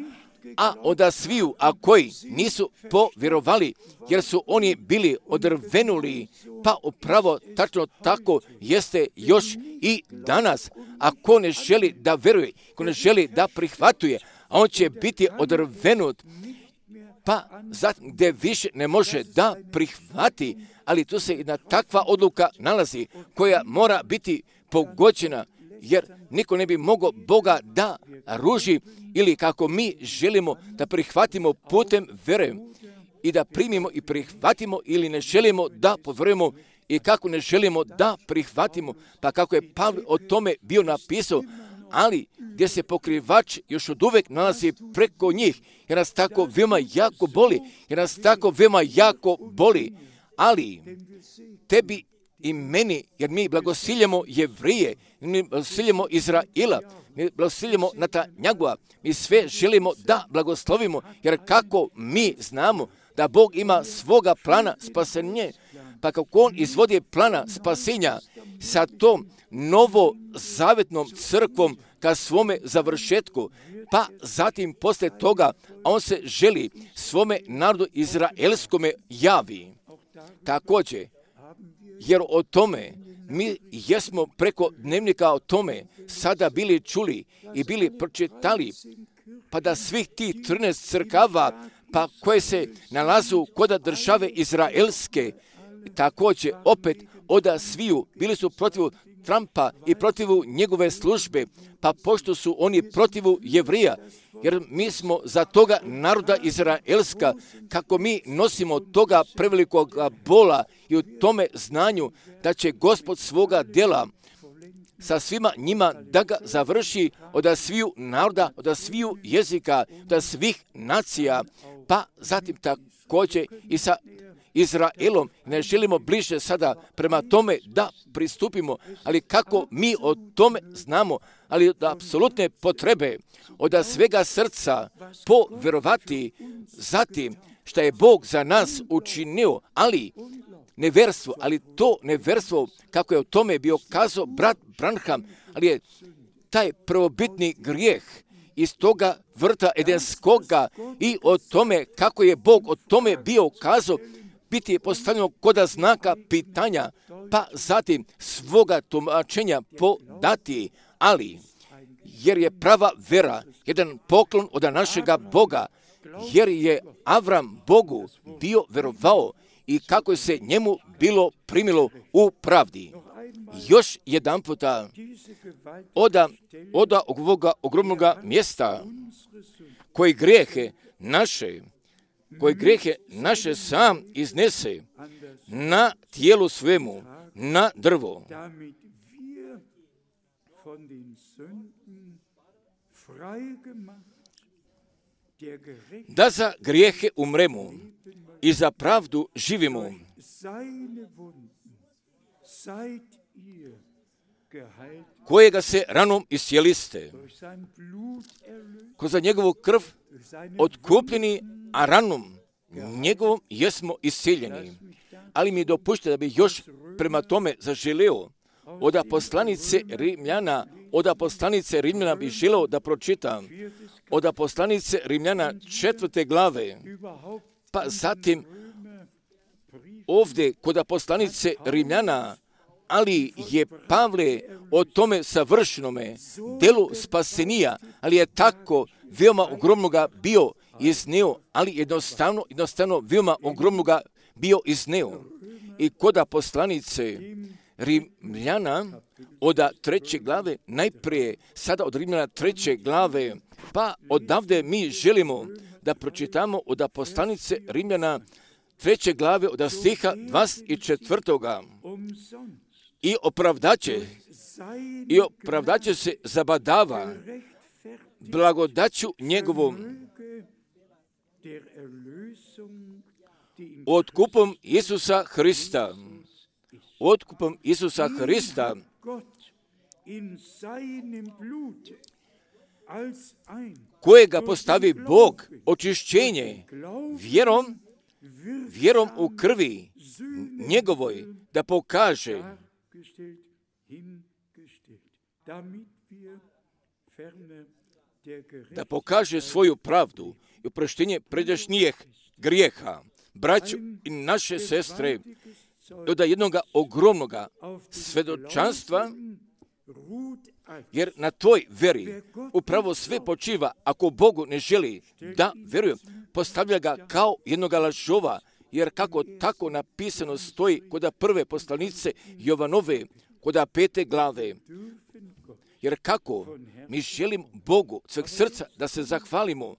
a od sviju, a koji nisu povjerovali, jer su oni bili odrvenuli, pa upravo tačno tako jeste još i danas. Ako ne želi da veruje, ako ne želi da prihvatuje, a on će biti odrvenut, pa zatim gdje više ne može da prihvati, ali tu se jedna takva odluka nalazi koja mora biti pogođena, jer niko ne bi mogao Boga da ruži ili kako mi želimo da prihvatimo putem vere i da primimo i prihvatimo ili ne želimo da povjerujemo, i kako ne želimo da prihvatimo, pa kako je Pavle o tome bio napisao, ali gdje se pokrivač još od uvek nalazi preko njih, jer nas tako veoma jako boli, jer nas tako veoma jako boli, ali tebi i meni, jer mi blagosiljemo Jevrije, mi blagosiljemo Izraela, mi blagosiljemo Netanjahua, mi sve želimo da blagoslovimo, jer kako mi znamo da Bog ima svoga plana spasenja, pa kako On izvodi plana spasenja sa tom novozavetnom crkvom ka svome završetku, pa zatim posle toga On se želi svome narodu izraelskome javi. Također, jer o tome mi jesmo preko dnevnika o tome sada bili čuli i bili pročitali, pa da svih tih trinaest crkava, pa koje se nalazu kod države izraelske, također opet oda sviju bili su protiv Trumpa i protiv njegove službe, pa pošto su oni protiv Jevrija, jer mi smo za toga naroda Izraelska, kako mi nosimo toga prevelikog bola i u tome znanju da će Gospod svoga djela sa svima njima da ga završi od sviju naroda, od sviju jezika, od svih nacija, pa zatim također i sa Izraelom. Ne želimo bliže sada prema tome da pristupimo, ali kako mi o tome znamo, ali od apsolutne potrebe, od svega srca povjerovati zatim što je Bog za nas učinio, ali neverstvo, ali to neverstvo, kako je o tome bio kazao brat Branham, ali je taj prvobitni grijeh iz toga vrta edenskoga i o tome kako je Bog o tome bio kazao, biti je postavljeno koda znaka pitanja, pa zatim svoga tumačenja podati, ali jer je prava vera jedan poklon od našega Boga, jer je Avram Bogu bio verovao i kako se njemu bilo primilo u pravdi. Još jedan puta oda, oda ovoga ogromnoga mjesta koji grijehe naše, koji grijehe naše sam iznese na tijelu svemu, na drvo, da za grijehe umremo i za pravdu živimo. Kojega se ranom iscijeliste, ko za njegovu krv otkupljeni, a ranom njegovom jesmo iscijeljeni. Ali mi dopušte da bi još prema tome zaželeo od poslanice Rimljana, od poslanice Rimljana bi želeo da pročitam, od poslanice Rimljana četvrte glave, pa zatim ovdje kod poslanice Rimljana, ali je Pavle o tome savršenome delu spasenija, ali je tako veoma ogromnoga bio izneo, ali jednostavno, jednostavno veoma ogromnoga bio izneo. I kod poslanice Rimljana od treće glave, najprije sada od Rimljana treće glave, pa odavde mi želimo da pročitamo od poslanice Rimljana treće glave od stiha dvadeset četvrtoga. I opravdaće, i opravdaće se zabadava blagodaću njegovom otkupom Isusa Hrista. Otkupom Isusa Hrista, kojega postavi Bog očišćenje vjerom, vjerom u krvi njegovoj, da pokaže da pokaže svoju pravdu i oproštenje pređašnjih grijeha. Braćo i naše sestre, od jednoga ogromnoga svedočanstva, jer na toj veri upravo sve počiva. Ako Bogu ne želi da veruje, postavlja ga kao jednoga lažova, jer kako tako napisano stoji kod prve poslanice Jovanove, kod pete glave. Jer kako mi želimo Bogu sveg srca da se zahvalimo,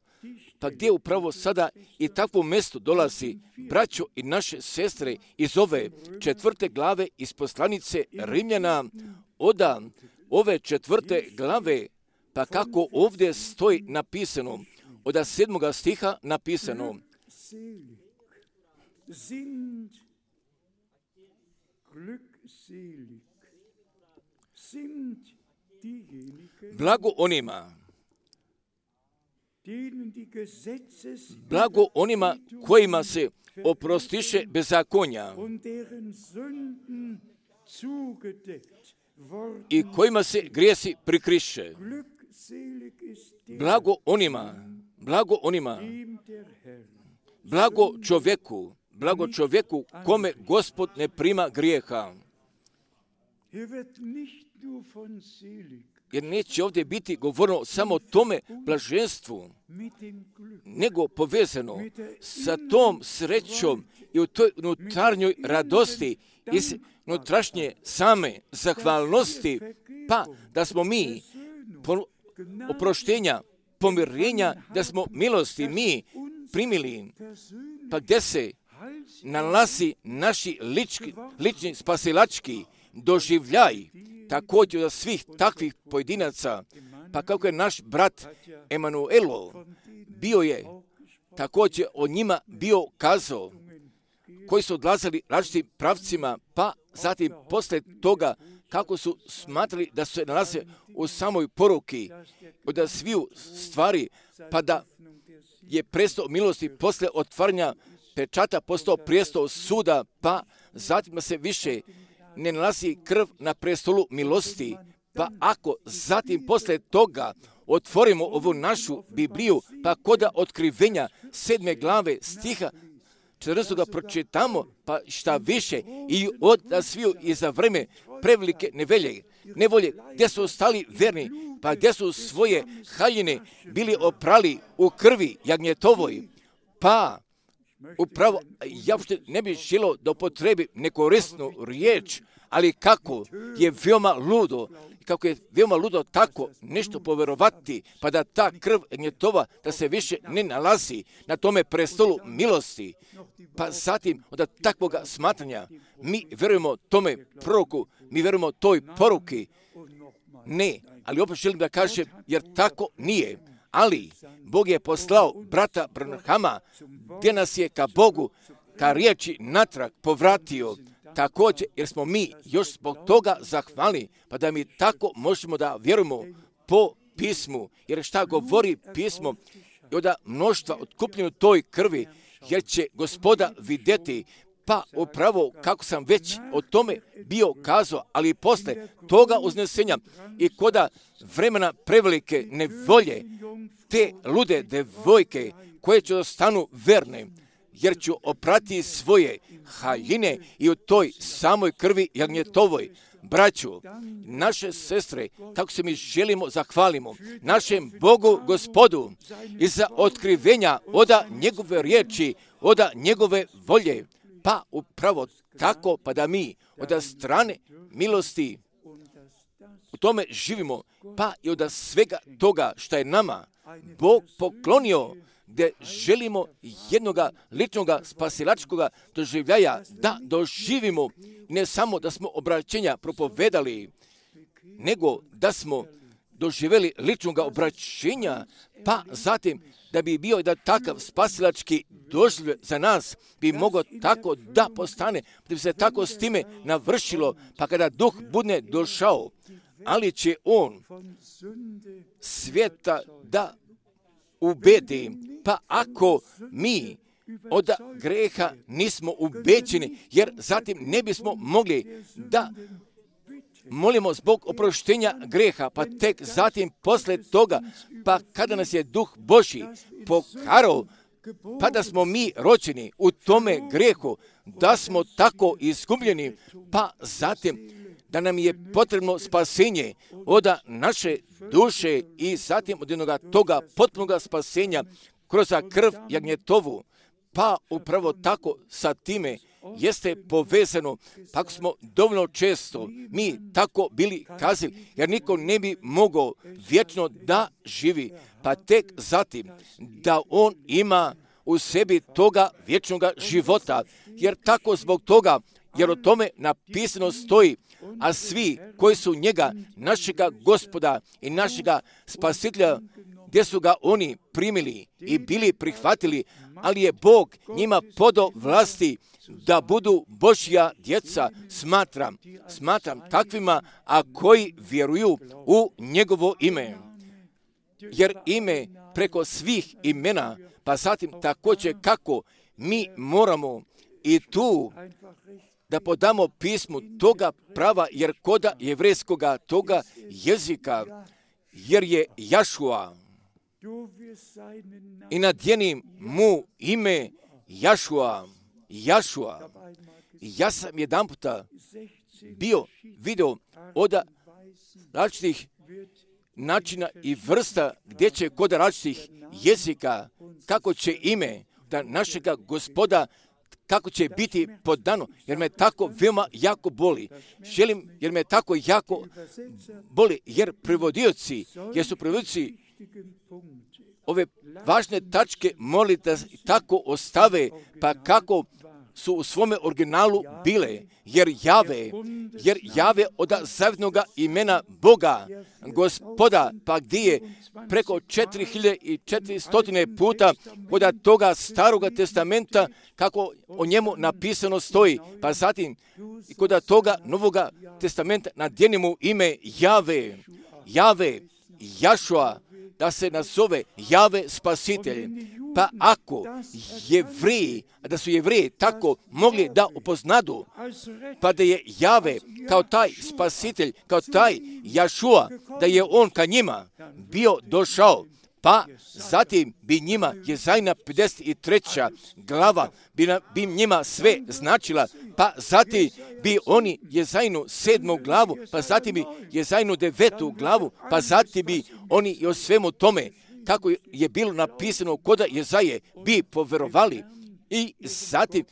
Pa gdje upravo sada i takvo mjesto dolazi, braćo i naše sestre, iz ove četvrte glave iz poslanice Rimljana, oda ove četvrte glave, pa kako ovdje stoji napisano, od sedmoga stiha napisano, blago onima, blago onima kojima se oprostiše bezakonja i kojima se grijesi prikriše. Blago onima, blago onima, blago čovjeku, blago čovjeku kome Gospod ne prima grijeha. Jer neće ovdje biti govoreno samo o tome blaženstvu, nego povezano sa tom srećom i u toj unutarnjoj radosti i unutrašnje same zahvalnosti, pa da smo mi oproštenja, pomirenja, da smo milosti mi primili, pa gdje se nalazi naši lički, lični spasilački doživljaj, također za svih takvih pojedinaca, pa kako je naš brat Emanuelo bio je također o njima bio kazao, koji su odlazili različitim pravcima, pa zatim poslije toga kako su smatrali da se nalaze u samoj poruki od sviju stvari, pa da je prestao milosti poslije otvaranja pečata postao prijestol suda, pa zatim se više ne nalazi krv na prestolu milosti. Pa ako zatim poslije toga otvorimo ovu našu Bibliju, pa kod otkrivenja sedme glave stiha četrnaestog pročitamo, pa šta više, i od sviju i za vreme prevelike nevolje, nevolje, gdje su ostali verni, pa gdje su svoje haljine bili oprali u krvi jagnjetovoj, pa upravo, ja uopšte ne bih želio da upotrebi nekorisnu riječ, ali kako je veoma ludo, kako je veoma ludo tako nešto povjerovati, pa da ta krv jagnjetova da se više ne nalazi na tome prestolu milosti. Pa zatim od takvoga smatranja mi vjerujemo tome proroku, mi vjerujemo toj poruki. Ne, ali opet želim da kažem, jer tako nije. Ali Bog je poslao brata Branhama, gdje nas je ka Bogu, ka riječi natrag povratio, također jer smo mi još zbog toga zahvalni, pa da mi tako možemo da vjerujemo po pismu, jer šta govori pismo i od mnoštva otkupljeno toj krvi, jer će Gospoda vidjeti, pa upravo kako sam već o tome bio kazao, ali i posle toga uznesenja i koda vremena prevelike nevolje, te lude devojke koje će ostanu verne, jer ću oprati svoje haljine i u toj samoj krvi jagnjetovoj. Braću, naše sestre, tako se mi želimo zahvalimo našem Bogu Gospodu i za otkrivenja oda njegove riječi, oda njegove volje, pa upravo tako, pa da mi od strane milosti u tome živimo, pa i od svega toga što je nama Bog poklonio, gdje želimo jednoga ličnoga spasilačkoga doživljaja da doživimo, ne samo da smo obraćenja propovedali, nego da smo doživjeli ličnoga obraćenja, pa zatim da bi bio da takav spasilački doživljaj za nas bi mogao tako da postane, da bi se tako s time navršilo, pa kada duh bude došao, ali će on svijeta da ubedi, pa ako mi od greha nismo ubeđeni, jer zatim ne bismo mogli da molimo zbog oproštenja greha, pa tek zatim posle toga, pa kada nas je Duh Božji pokarao, pa da smo mi rođeni u tome grehu, da smo tako izgubljeni, pa zatim da nam je potrebno spasenje od naše duše i zatim od jednoga toga potpunog spasenja kroz krv jagnjetovu, pa upravo tako sa time jeste povezano, pa ako smo dovoljno često mi tako bili kazali, jer niko ne bi mogao vječno da živi, pa tek zatim da on ima u sebi toga vječnog života, jer tako zbog toga, jer o tome napisano stoji, a svi koji su njega, našega Gospoda i našega Spasitelja, gdje su ga oni primili i bili prihvatili, ali je Bog njima podao vlasti da budu Božja djeca, smatram, smatram takvima, a koji vjeruju u njegovo ime. Jer ime preko svih imena, pa zatim također kako mi moramo i tu da podamo pismu toga prava, jer koda jevrejskoga toga jezika, jer je Jašua, i nadjenim mu ime Jašua, Jašua. Ja sam jedan puta bio video od različitih načina i vrsta gdje će kod različitih jezika, kako će ime da našega Gospoda, kako će biti podano, jer me tako veoma jako boli. Želim, jer me tako jako boli, jer prevodioci, jer su prevodioci ove važne tačke moli da tako ostave, pa kako su u svome originalu bile, jer jave, jer jave od zavjetnoga imena Boga, Gospoda, pa gdje je preko četiri hiljade četiristo puta kod toga staroga testamenta, kako o njemu napisano stoji, pa zatim i kod toga novoga testamenta nadjenimo ime Jave, Jave, Jašua, da se nazove Jave Spasitelj. Pa ako Jevriji, da su Jevriji tako mogli da upoznadu, pa da je Jave kao taj Spasitelj, kao taj Jašua, da je on ka njima bio došao, pa zatim bi njima Jezajna pedeset treća glava bi, na, bi njima sve značila, pa zatim bi oni Jezajnu sedmu glavu, pa zatim bi Jezajnu devetu glavu, pa zatim bi oni i o svemu tome, kako je bilo napisano koda Jezaje, bi poverovali i zatim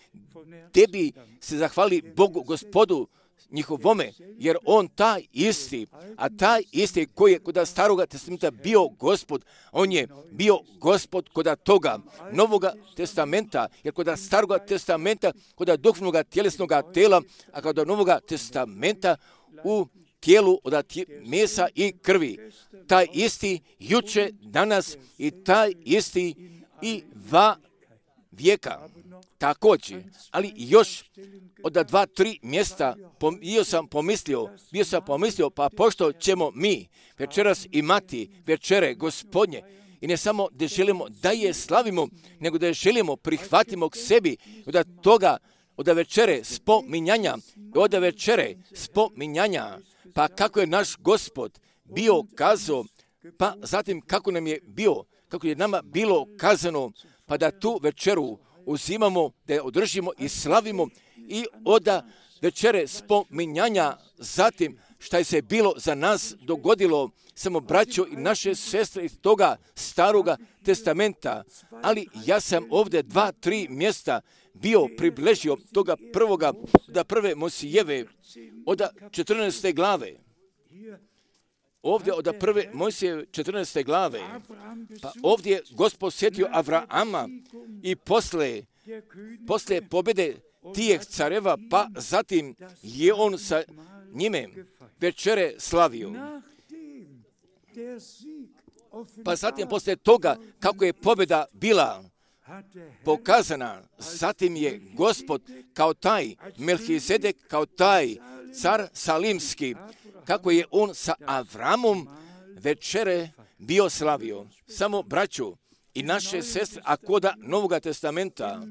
te bi se zahvali Bogu Gospodu njihovome, jer on taj isti, a taj isti koji je kod staroga testamenta bio Gospod, on je bio Gospod kod toga novoga testamenta, jer kod staroga testamenta, kod duhovnog tjelesnog tela, a kod novoga testamenta u tijelu od mesa i krvi. Taj isti juče, danas i taj isti i va vijeka. Također, ali još od dva, tri mjesta bio sam pomislio, bio sam pomislio, pa pošto ćemo mi večeras imati večere Gospodnje, i ne samo da želimo da je slavimo, nego da je želimo prihvatimo k sebi od toga, od večere spominjanja, od večere spominjanja, pa kako je naš Gospod bio kazao, pa zatim kako nam je bio, kako je nama bilo kazano, pa da tu večeru uzimamo, da je održimo i slavimo i od večere spominjanja, zatim šta je se bilo za nas dogodilo, samo braćo i naše sestre iz toga staroga testamenta, ali ja sam ovdje dva, tri mjesta bio približio toga prvoga, da prve Mojsijeve, od četrnaeste glave. Ovdje od prve Mojsijeve četrnaeste glave, pa ovdje je Gospod sjetio Avrama i posle, posle pobjede tijeh careva, pa zatim je on sa njime večere slavio. Pa zatim posle toga kako je pobjeda bila pokazana, zatim je Gospod kao taj Melhizedek, kao taj car Salimski, kako je on sa Avramom večere bio slavio. Samo braću i naše sestre, a koda Novoga testamenta,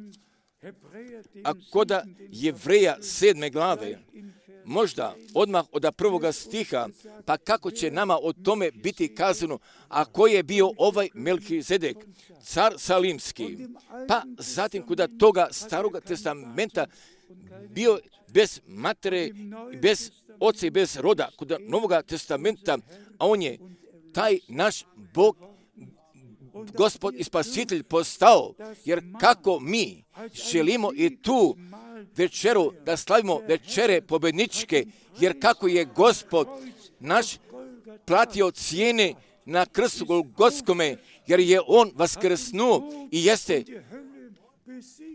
a koda Jevreja sedme glave, možda odmah od prvoga stiha, pa kako će nama o tome biti kazano, a ko je bio ovaj Melhizedek, car Salimski, pa zatim kod toga staroga testamenta bio bez matere, bez oca i bez roda, kod Novoga testamenta, a on je taj naš Bog, Gospod i Spasitelj postao, jer kako mi želimo i tu večeru, da slavimo večere pobjedničke, jer kako je Gospod naš platio cijene na krstu Golgotskome, jer je On vaskrsnuo i jeste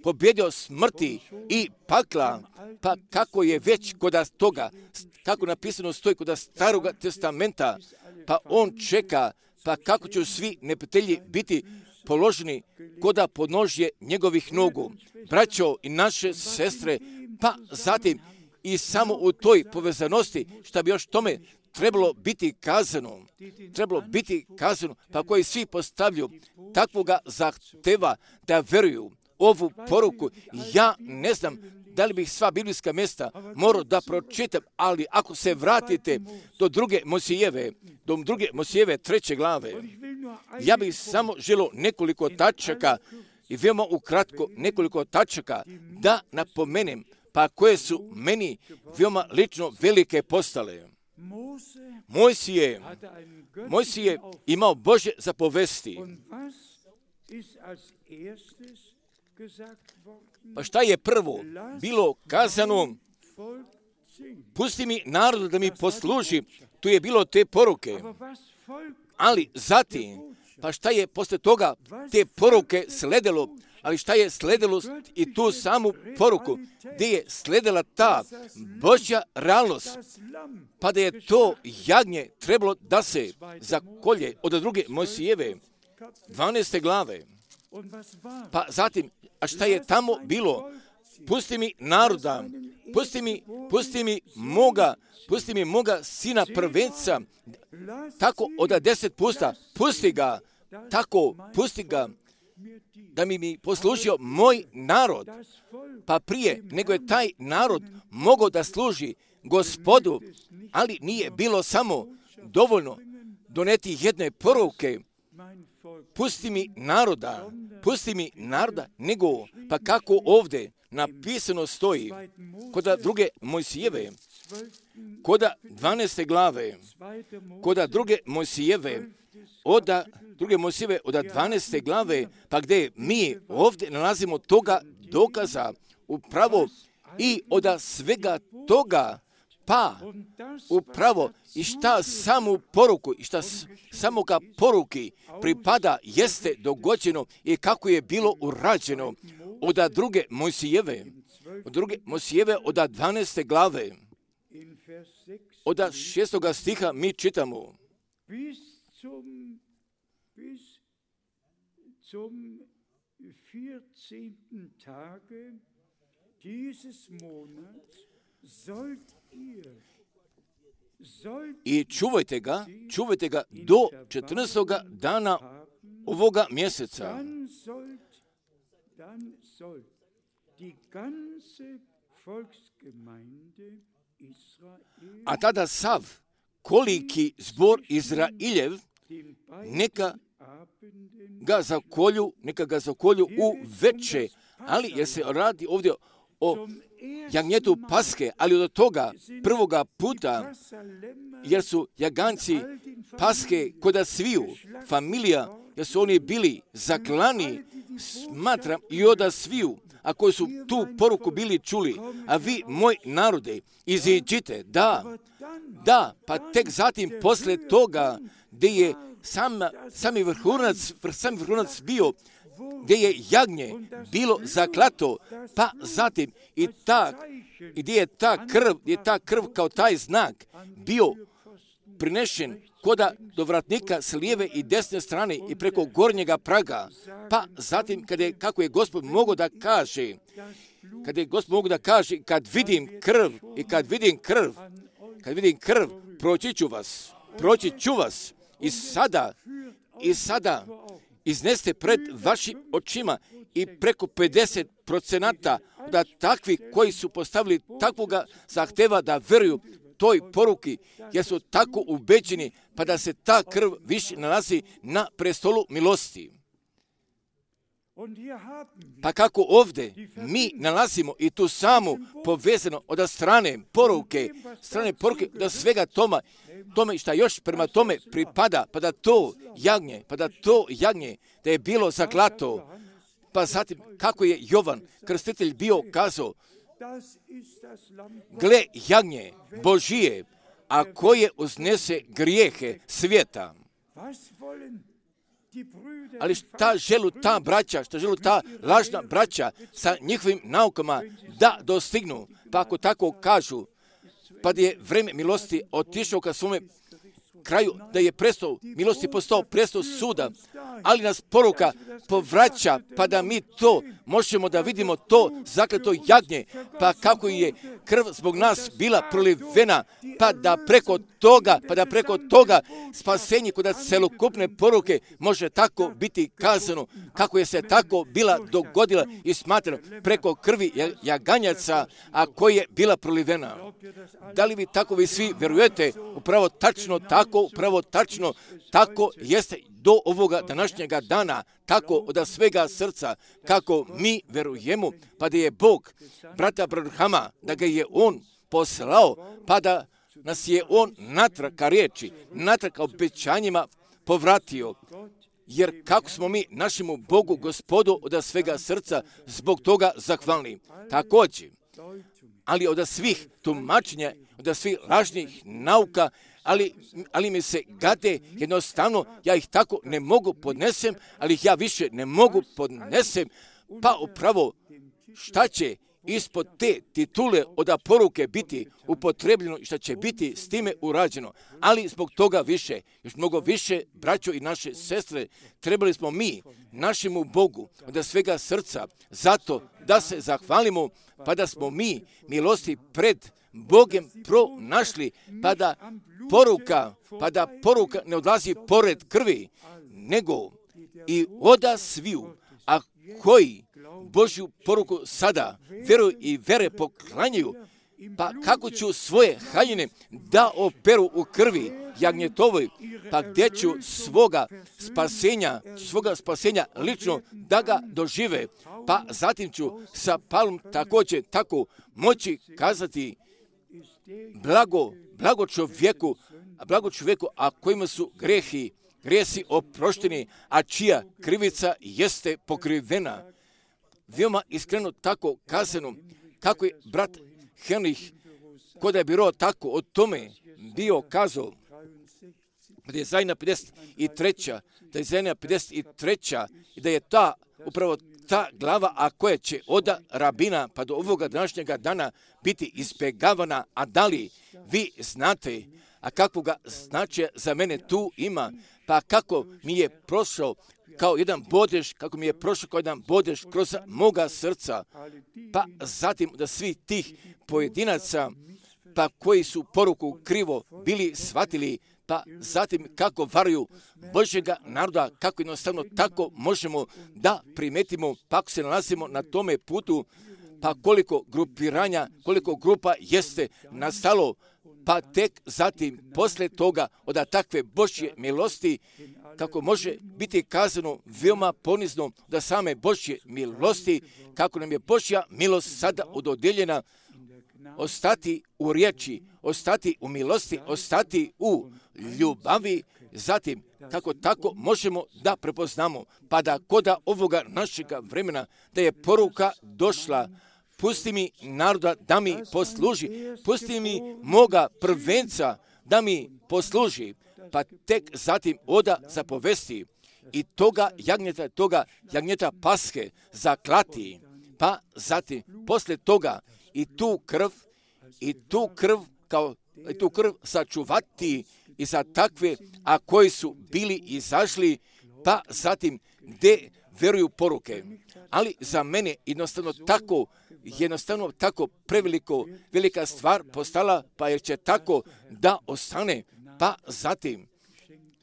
pobjedio smrti i pakla, pa kako je već kod toga, kako napisano stoji kod Staroga testamenta, pa On čeka, pa kako će svi neprijatelji biti položeni koda podnožje njegovih nogu. Braćo i naše sestre, pa zatim i samo u toj povezanosti, šta bi još tome trebalo biti kazano, trebalo biti kazano, pa koji svi postavljaju takvoga zahteva da veruju ovu poruku. Ja ne znam da li bih sva biblijska mjesta morao da pročitam, ali ako se vratite do druge Mosijeve, do druge Mosijeve treće glave, ja bih samo želio nekoliko tačaka i veoma ukratko nekoliko tačaka da napomenem, pa koje su meni veoma lično velike postale. Mojsije, Mojsije imao Božje zapovesti. Pa šta je prvo bilo kazano? Pusti mi narodu da mi posluži. Tu je bilo te poruke. Ali zatim, pa šta je posle toga te poruke sledilo? Ali šta je sledilo i tu samu poruku, gdje je sledila ta Božja realnost, pa da je to jagnje trebalo da se zakolje od druge Mojsijeve, dvanaeste glave. Pa zatim, a šta je tamo bilo? Pusti mi naroda, pusti mi, pusti mi moga, pusti mi moga sina prvenca, tako od deset pusta, pusti ga, tako, pusti ga, da mi mi poslužio moj narod, pa prije nego je taj narod mogao da služi Gospodu, ali nije bilo samo dovoljno doneti jedne poruke, pusti mi naroda, pusti mi naroda, nego, pa kako ovdje napisano stoji, kod druge Mojsijeve, kod dvanaeste glave, kod druge Mojsijeve, od druge Mojsijeve, od dvanaeste glave, pa gdje mi ovdje nalazimo toga dokaza upravo i od svega toga, pa upravo i šta samu poruku i šta samoga poruki pripada jeste dogođeno i kako je bilo urađeno od druge Mojsijeve, od druge Mojsijeve, od dvanaeste glave, od šestoga stiha mi čitamo. Zum vierzehnten Tage dieses Monats sollt ihr I čuvajte ga, čuvajte ga do četrnaestoga dana ovoga mjeseca. A tada sav koliki zbor Izrailjev neka ga zakolju, neka ga zakolju u veče, ali jer se radi ovdje o jagnjetu Paske, ali od toga prvoga puta, jer su jaganci Paske koda sviju familija, jer su oni bili zaklani, smatram i oda sviju, a koji su tu poruku bili čuli, a vi, moj narode, iziđite, da, da, pa tek zatim posle toga, gdje je sam, sami vrhunac, sami vrhunac bio, gdje je jagnje bilo zaklato, pa zatim i ta, gdje je ta krv, gdje je ta krv kao taj znak bio prinešen koda do vratnika s lijeve i desne strane i preko gornjega praga, pa zatim kada je, kako je Gospod mogao da kaže, kada je Gospod mogao da kaže, kad vidim krv i kad vidim krv, kad vidim krv, proći ću vas, proći ću vas i sada, i sada izneste pred vašim očima i preko pedeset procenata da takvi koji su postavili takvoga zahteva da veruju toj poruki, jer su tako ubeđeni, pa da se ta krv više nalazi na prestolu milosti. Pa kako ovdje mi nalazimo i tu samu povezano od strane poruke, strane poruke od svega toma, tome šta još prema tome pripada, pa da to jagnje, pa da to jagnje, da je bilo zaklato, pa zatim kako je Jovan Krstitelj bio kazao, gle jagnje Božije, a koje uznese grijehe svijeta. Ali šta želu ta braća, šta želu ta lažna braća sa njihovim naukama da dostignu, pa ako tako kažu, pa da je vreme milosti otišao ka svome kraju, da je prestao milosti postao prestao suda, ali nas poruka povraća, pa da mi to možemo da vidimo to zakleto jagnje, pa kako je krv zbog nas bila prolivena, pa da preko toga, pa da preko toga spasenje kod celokupne poruke može tako biti kazano, kako je se tako bila dogodila i smatrano preko krvi jaganjaca, a koja je bila prolivena. Da li vi tako vi svi verujete? Upravo tačno tako, upravo tačno tako jeste do ovoga današnjega dana, tako od svega srca, kako mi verujemo, pa da je Bog brata Abrahama, da ga je on poslao, pa da nas je on natrag ka riječi, natrag ka obećanjima povratio. Jer kako smo mi našemu Bogu, Gospodu, od svega srca zbog toga zahvalni. Također, ali od svih tumačenja, od svih lažnih nauka, ali, ali mi se gade, jednostavno, ja ih tako ne mogu podnesem, ali ih ja više ne mogu podnesem, pa upravo šta će ispod te titule od poruke biti upotrebljeno i šta će biti s time urađeno. Ali zbog toga više, još mnogo više, braćo i naše sestre, trebali smo mi, našemu Bogu, od svega srca, zato da se zahvalimo, pa da smo mi milosti pred Bogem pronašli, pa da poruka, pa da poruka ne odlazi pored krvi, nego i oda sviju, a koji Božju poruku sada veruju i vere poklanjaju, pa kako ću svoje haljine da operu u krvi jagnjetovoj, pa gdje ću svoga spasenja, svoga spasenja lično da ga dožive, pa zatim ću sa palom također tako moći kazati blago, blago čovjeku, blago čovjeku, a kojima su grehi, grijesi oprošteni, a čija krivica jeste pokrivena. Veoma iskreno tako kazano, kako je brat Henrich, kod je bilo tako o tome bio kazao, da je Izaija pedeset treća, da je Izaija pedeset treća i da je ta, upravo ta glava, a koja će od rabina pa do ovoga današnjega dana biti izbjegavana, a da li vi znate, a kakvoga značaja za mene tu ima, pa kako mi je prošao kao jedan bodež, kako mi je prošao kao jedan bodež kroz moga srca, pa zatim da svi tih pojedinaca, pa koji su poruku krivo bili shvatili, pa zatim kako varuju Božjega naroda, kako jednostavno tako možemo da primetimo, pa ako se nalazimo na tome putu, pa koliko grupiranja, koliko grupa jeste nastalo, pa tek zatim, posle toga, od takve Božje milosti, kako može biti kazano veoma ponizno da same Božje milosti, kako nam je Božja milost sada udodijeljena, ostati u riječi, ostati u milosti, ostati u ljubavi, zatim kako tako možemo da prepoznamo, pa da koda ovoga našega vremena, da je poruka došla, pusti mi naroda da mi posluži, pusti mi moga prvenca da mi posluži, pa tek zatim oda zapovesti i toga jagnjeta, toga jagnjeta paske zaklati, pa zatim posle toga i tu krv, i tu krv kao i tu krv sačuvati i za takve, a koji su bili izašli, pa zatim gdje veruju poruke. Ali za mene jednostavno tako, jednostavno tako preveliko, velika stvar postala, pa jer će tako da ostane, pa zatim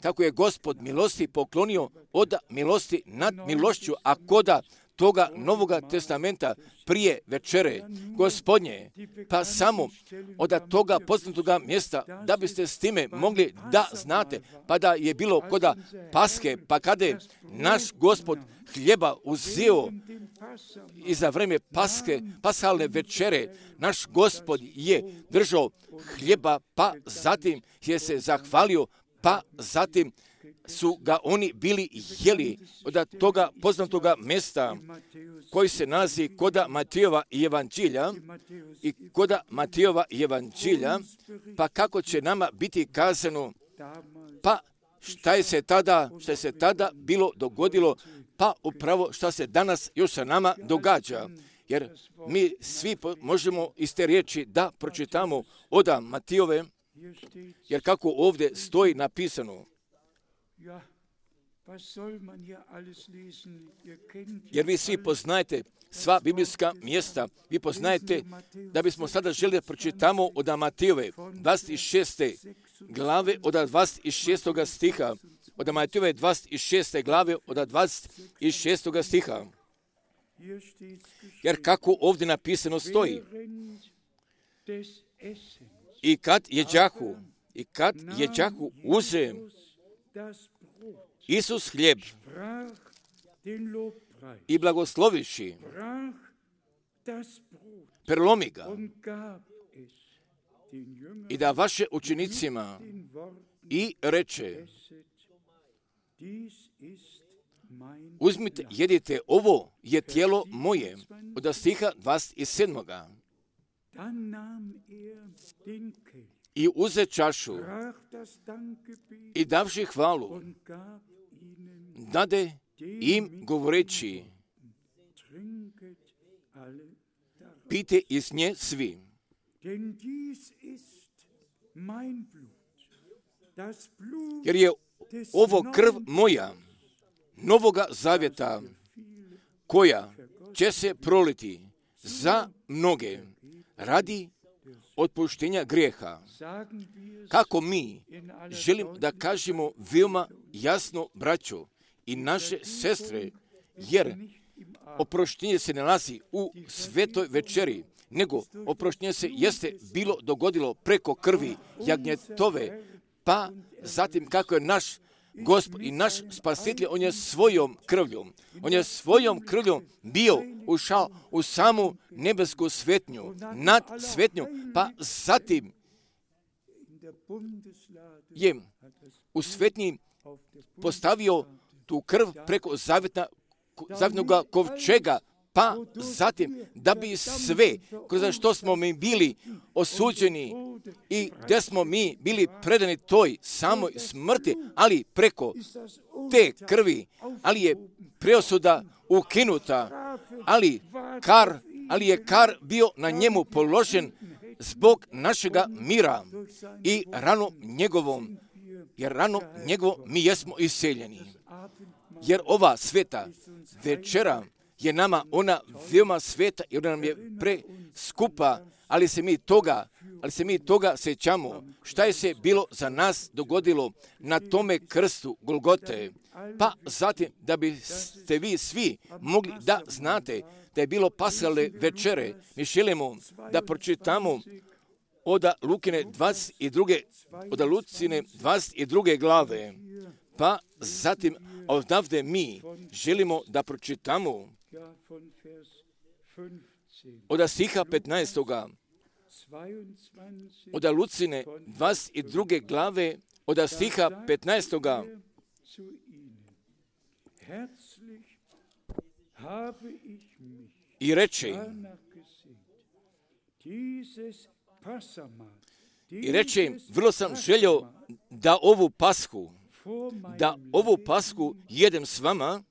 kako je Gospod milosti poklonio od milosti nad milošću, a koda toga Novoga testamenta prije večere Gospodnje, pa samo od toga poznatoga mjesta, da biste s time mogli da znate, pa da je bilo koda paske, pa kada je naš Gospod hljeba uzeo i za vreme paske, pasalne večere, naš Gospod je držao hljeba, pa zatim je se zahvalio, pa zatim su ga oni bili jeli od toga poznatoga mjesta koji se nalazi koda Matejova evanđelja i koda Matejova evanđelja, pa kako će nama biti kazano, pa šta je se tada, šta je se tada bilo dogodilo, pa upravo šta se danas još sa nama događa. Jer mi svi možemo iz te riječi da pročitamo od Matejove, jer kako ovdje stoji napisano, jer vi svi poznajete sva biblijska mjesta, vi poznajete da bismo sada želi da pročitamo od Matejove dvadeset šeste glave od dvadeset šestog stiha, od Matejove dvadeset šeste glave od dvadeset šestog stiha. Jer kako ovdje napisano stoji, i kad jeđahu, i kad jeđahu uze Isus hljeb i blagosloviši, prelomi ga i da vaše učenicima i reče, uzmite, jedite, ovo je tijelo moje, od stiha dvadeset sedmog. I uze čašu i davši hvalu, dade im govoreći, pijte iz nje svi. Jer je ovo krv moja, novoga zavjeta, koja će se proliti za mnoge radi otpuštenja grijeha. Kako mi želimo da kažemo veoma jasno, braćo i naše sestre, jer oproštenje se ne nalazi u svetoj večeri, nego oproštenje se jeste bilo dogodilo preko krvi jagnjetove, pa zatim kako je naš Gospod i naš spasitelj, on je svojom krvljom, on je svojom krvljom bio ušao u samu nebesku svetnju, nad svetnju, pa zatim je u svetnji postavio tu krv preko zavjetna, zavjetnog kovčega, pa zatim da bi sve, kroz što smo mi bili osuđeni i gdje smo mi bili predani toj samoj smrti, ali preko te krvi, ali je preosuda ukinuta, ali kar, ali je kar bio na njemu položen zbog našega mira i ranom njegovom, jer ranom njegovom mi jesmo iseljeni. Jer ova sveta večera je nama ona veoma sveta i ona nam je preskupa, ali se mi toga, ali se mi toga sjećamo. Šta je se bilo za nas dogodilo na tome krstu Golgote? Pa zatim da biste vi svi mogli da znate da je bilo Paschalne večere, mi želimo da pročitamo od Lukine dvadeset druge, od Lucine dvadeset druge glave, pa zatim odavde mi želimo da pročitamo od stiha petnaestog. Od Lucine dvadeset druge glave, od stiha petnaestog. I reče, i reče, vrlo sam želio da ovu pashu, da ovu pashu jedem s vama,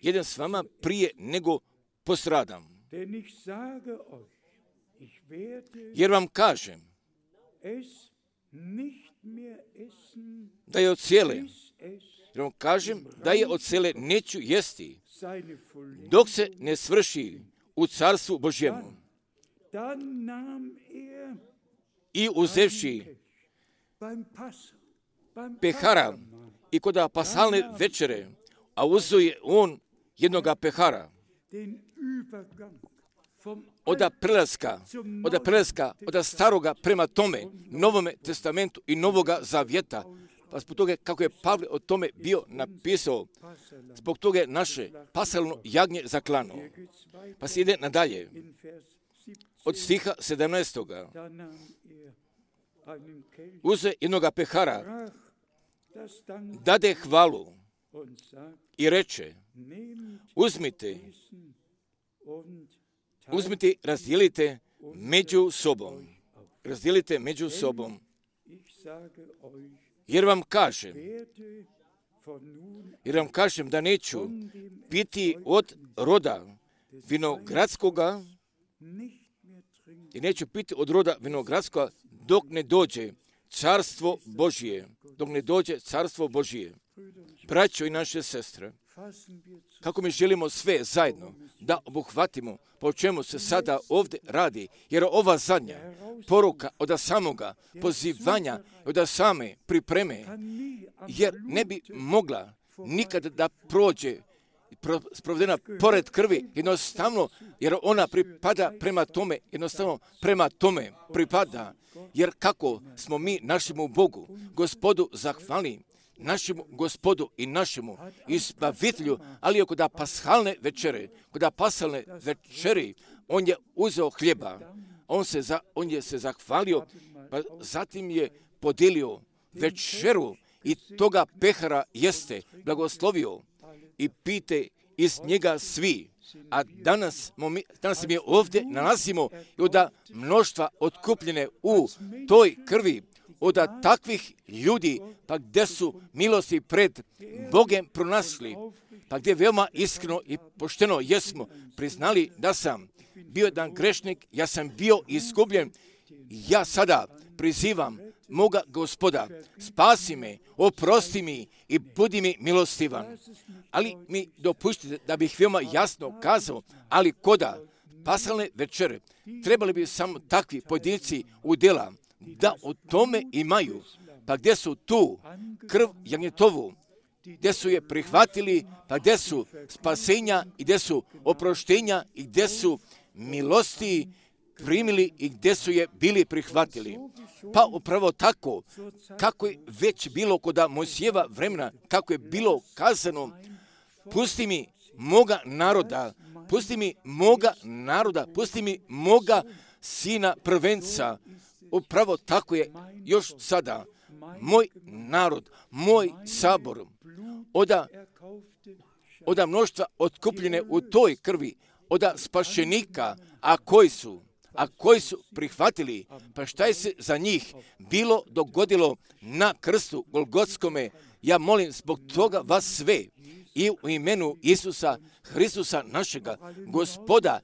jedem s vama prije nego postradam. Jer vam kažem, da je od cijele, jer vam kažem da je od cijele neću jesti, dok se ne svrši u carstvu Božjemu. I uzevši pehara i kod paschalne večere, a uzeo je on jednoga pehara, od prelaska, od prelaska, od staroga prema tome, Novome testamentu i Novoga zavjeta, pa zbog toga kako je Pavle o tome bio napisao, zbog toga je naše paschalno jagnje zaklano. Pa se ide nadalje, od stiha sedamnaestog. Uze jednoga pehara dade hvalu i reče, uzmite, uzmite, razdijelite među sobom. Razdijelite među sobom. Jer vam kažem, jer vam kažem da neću piti od roda vinogradskoga, i neću piti od roda vinogradskoga dok ne dođe carstvo Božije. Dok ne dođe carstvo Božije. Braćo i naše sestre, kako mi želimo sve zajedno da obuhvatimo po čemu se sada ovdje radi, jer ova zadnja poruka od samoga pozivanja, od same pripreme, jer ne bi mogla nikada da prođe sprovedena pored krvi, jednostavno, jer ona pripada prema tome, jednostavno prema tome pripada, jer kako smo mi našemu Bogu, Gospodu zahvalni, našemu Gospodu i našemu izbavitelju, ali kod pashalne večere, kod pashalne večeri, on je uzeo hljeba, on, se za, on je se zahvalio, pa zatim je podijelio večeru i toga pehara jeste, blagoslovio i pite iz njega svi. A danas, danas mi ovdje nalazimo i od mnoštva otkupljene u toj krvi, od takvih ljudi, pa gdje su milosti pred Bogem pronašli, pa gdje veoma iskreno i pošteno jesmo priznali da sam bio jedan grešnik, ja sam bio izgubljen, ja sada prizivam moga Gospoda, spasi me, oprosti mi i budi mi milostivan. Ali mi dopuštite da bih veoma jasno kazao, ali koda pashalne večere trebali bi samo takvi pojedinci udjela da o tome imaju, pa gdje su tu krv jagnjetovu, gdje su je prihvatili, pa gdje su spasenja i gdje su oproštenja i gdje su milosti primili i gdje su je bili prihvatili. Pa upravo tako, kako je već bilo kod Mojsijeva vremena, kako je bilo kazano, pusti mi moga naroda, pusti mi moga naroda, pusti mi moga sina prvenca. Upravo tako je još sada. Moj narod, moj sabor, oda, oda mnoštva otkupljene u toj krvi, oda spašenika, a koji su, a koji su prihvatili, pa šta je se za njih bilo dogodilo na krstu Golgotskome, ja molim zbog toga vas sve i u imenu Isusa Hristusa našega Gospoda,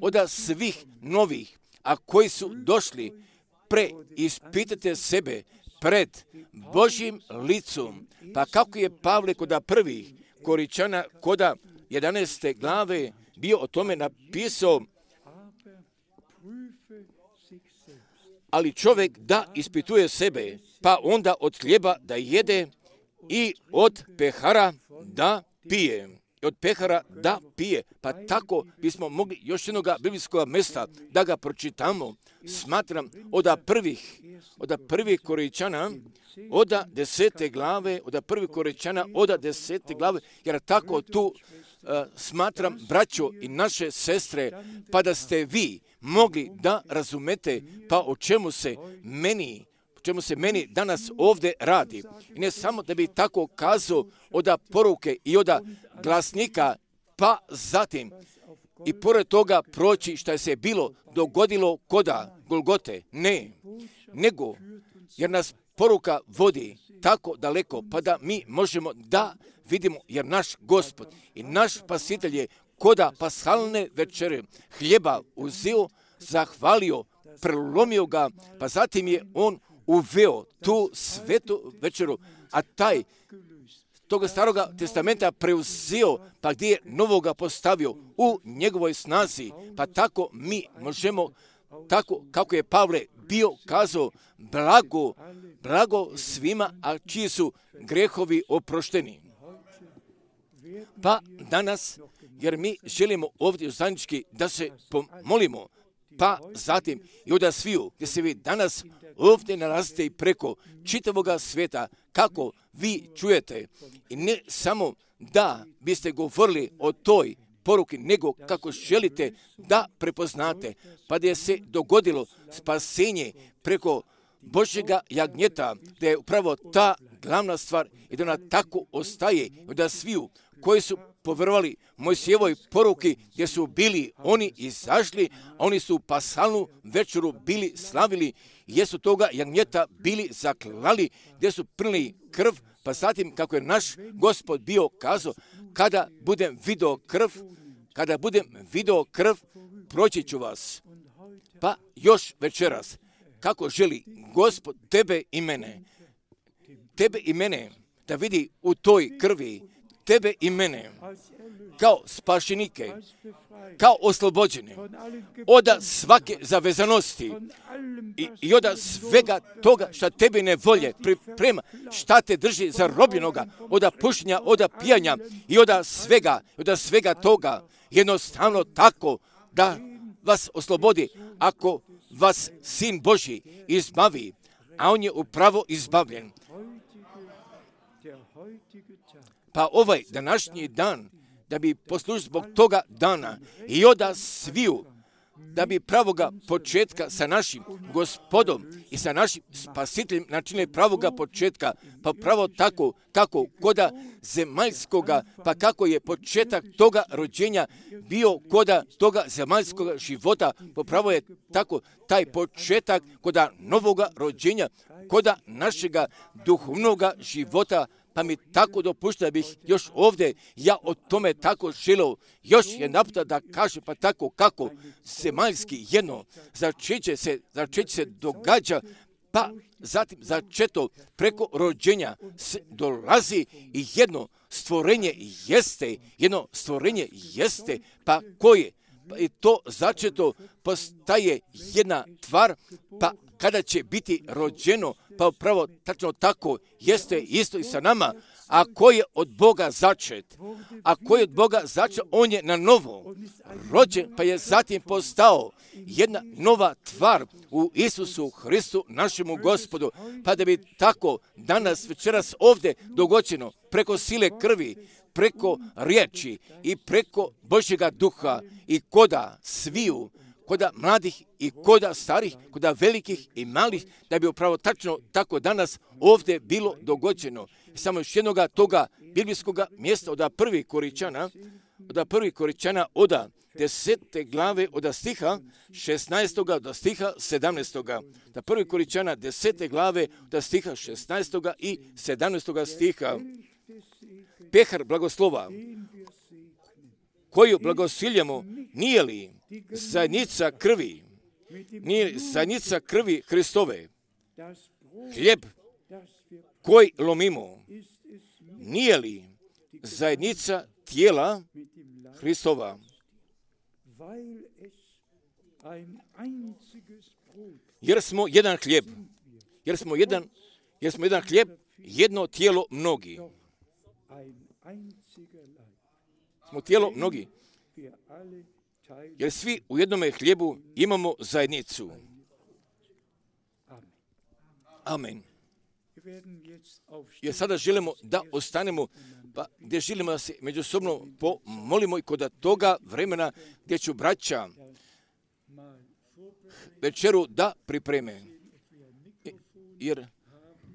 oda svih novih, a koji su došli, preispitajte sebe pred Božjim licom, pa kako je Pavle koda prvih Koričana, koda jedanaeste glave bio o tome napisao, ali čovjek da ispituje sebe, pa onda od hljeba da jede i od pehara da pije. I od pehara da pije. Pa tako bismo mogli još jednog biblijskog mjesta da ga pročitamo. Smatram od prvih, od prvih Koričana, od desete glave, od prvih Koričana, od desete glave, jer tako tu uh, smatram, braćo i naše sestre, pa da ste vi mogli da razumete pa o čemu se meni, o čemu se meni danas ovdje radi. I ne samo da bi tako kazao od poruke i od glasnika, pa zatim i pored toga proći šta je se bilo dogodilo koda Golgote. Ne, nego jer nas poruka vodi tako daleko, pa da mi možemo da vidimo, jer naš Gospod i naš Spasitelj je koda pashalne večere hljeba uzeo, zahvalio, prelomio ga, pa zatim je on uveo tu svetu večeru, a taj toga staroga testamenta preuzeo, pa gdje je novoga postavio u njegovoj snazi, pa tako mi možemo, tako kako je Pavle bio kazao, blago, blago svima, a čiji su grehovi oprošteni. Pa danas, jer mi želimo ovdje zajednički da se pomolimo, pa zatim i od sviju, gdje se vi danas ovdje nalazite i preko čitavoga svijeta, kako vi čujete. I ne samo da biste govorili o toj poruki, nego kako želite da prepoznate, pa da je se dogodilo spasenje preko Božjega jagnjeta, da je upravo ta glavna stvar je da ona tako ostaje i da sviju koji su povjerovali Mojsijevoj poruki gdje su bili oni izašli, a oni su pasalnu večeru bili slavili, jesu toga jagnjeta bili zaklali, gdje su prili krv, pa zatim kako je naš Gospod bio kazao, kada budem video krv, kada budem video krv, proći ću vas. Pa još večeras, kako želi Gospod tebe i mene, tebe i mene, da vidi u toj krvi, tebe i mene, kao spašenike, kao oslobođene, od svake zavezanosti i, i od svega toga šta tebi ne volje, priprema, šta te drži zarobljenoga, od pušenja, od pijanja i od svega, od svega toga, jednostavno tako da vas oslobodi, ako vas Sin Božji izbavi, a on je upravo izbavljen. Pa ovaj današnji dan, da bi poslužio zbog toga dana i oda sviju, da bi pravoga početka sa našim Gospodom i sa našim Spasiteljem načinili pravoga početka, pa pravo tako kako koda zemaljskoga, pa kako je početak toga rođenja bio koda toga zemaljskoga života, pa pravo je tako taj početak koda novoga rođenja, koda našega duhovnoga života. Pa mi tako dopušta da bih još ovdje ja o tome tako želio još jedan puta da kaže, pa tako kako zemaljski jedno začeće se, začeće se događa, pa zatim začeto preko rođenja dolazi i jedno stvorenje jeste, jedno stvorenje jeste, pa koje? Pa i to začeto postaje jedna tvar, pa kada će biti rođeno, pa upravo tačno tako jeste isto i sa nama. A ko je od Boga začet, a ko je od Boga začet, on je na novo rođen, pa je zatim postao jedna nova tvar u Isusu Hristu, našemu Gospodu. Pa da bi tako danas, večeras ovdje dogođeno, preko sile krvi, preko riječi i preko Božjega duha i koda sviju, koda mladih i koda starih, koda velikih i malih, da bi upravo tačno tako danas ovdje bilo dogođeno. Samo još jednoga toga biblijskoga mjesta od prvi Koričana, od prvi Koričana od desete glave od stiha šesnaestoga do stiha sedamnaestoga. Da prvi Koričana desete glave od stiha šesnaestoga i sedamnaestoga stiha. Pehar blagoslova, koju blagosiljamo, nije li zajednica krvi, nije li zajednica krvi Hristove, hljeb koji lomimo, nije li zajednica tijela Hristova, jer smo jedan hljeb, jer smo jedan, jer smo jedan hljeb, jedno tijelo mnogi. Smo tijelo mnogi, jer svi u jednome hljebu imamo zajednicu. Amen. Jer sada želimo da ostanemo, pa gdje želimo da se međusobno pomolimo i kod toga vremena gdje ću braća večeru da pripreme. Jer,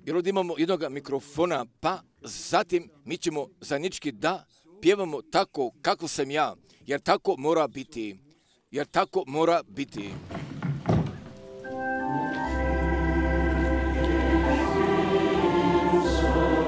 jer ovdje imamo jednog mikrofona, pa zatim mi ćemo zajednički da pjevamo tako kako sam ja, jer tako mora biti, jer tako mora biti. Thank you.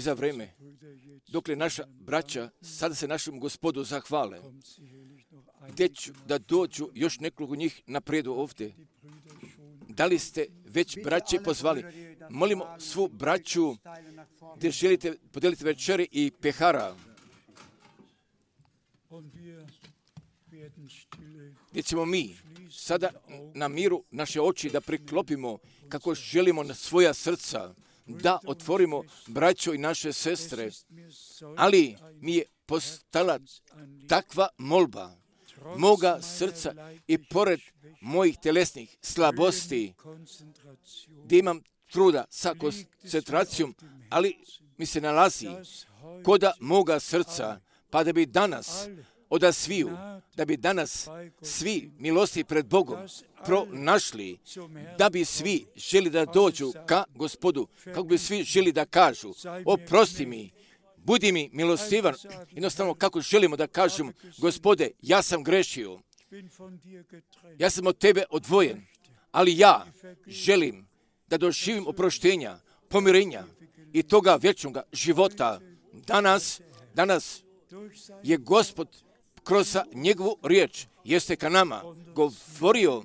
za vreme, dokle naša braća sada se našem Gospodu zahvale, gdje ću da dođu još nekoliko njih napredu ovdje. Da li ste već braće pozvali? Molimo svu braću gdje želite podijeliti večeri i pehara, gdje ćemo mi sada na miru naše oči da priklopimo kako želimo na svoja srca, da otvorimo braćo i naše sestre, ali mi je postala takva molba moga srca i pored mojih telesnih slabosti, gdje imam truda sa koncentracijom, ali mi se nalazi koda moga srca, pa da bi danas oda sviju, da bi danas svi milosti pred Bogom pronašli, da bi svi želi da dođu ka Gospodu, kako bi svi želi da kažu, oprosti mi, budi mi milostivan, jednostavno kako želimo da kažemo, Gospode, ja sam grešio, ja sam od Tebe odvojen, ali ja želim da doživim oproštenja, pomirenja i toga vječnog života. Danas, danas je Gospod kroz njegovu riječ jeste ka nama govorio,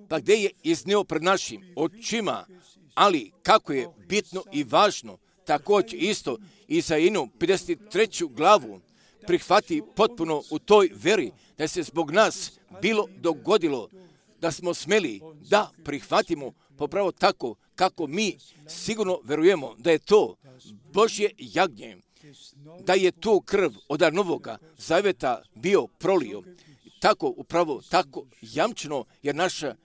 pa gdje je iznio pred našim očima, ali kako je bitno i važno, također isto i za inu pedeset treću glavu prihvati potpuno u toj veri da se zbog nas bilo dogodilo da smo smeli da prihvatimo popravo tako kako mi sigurno verujemo da je to Božje jagnje, da je tu krv od novoga zaveta bio prolio. Tako upravo, tako jamčeno, jer naša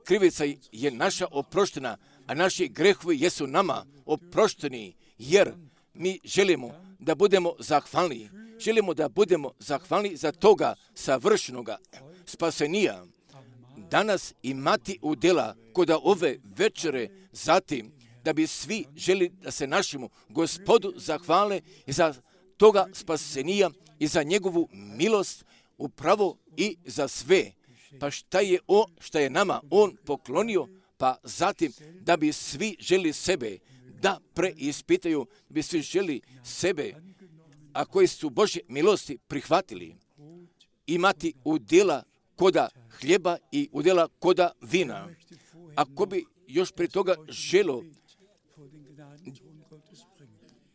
krivica je naša oproštena, a naši grehovi jesu nama oprošteni, jer mi želimo da budemo zahvalni. Želimo da budemo zahvalni za toga savršenoga spasenija. Danas imati udjela kod ove večere, zatim da bi svi želi da se našemu Gospodu zahvale i za toga spasenija i za njegovu milost upravo i za sve. Pa šta je on, šta je nama on poklonio, pa zatim da bi svi želi sebe da preispitaju, da bi svi želi sebe, a koji su Božje milosti prihvatili, imati udjela koda hljeba i udjela koda vina. Ako bi još prije toga želo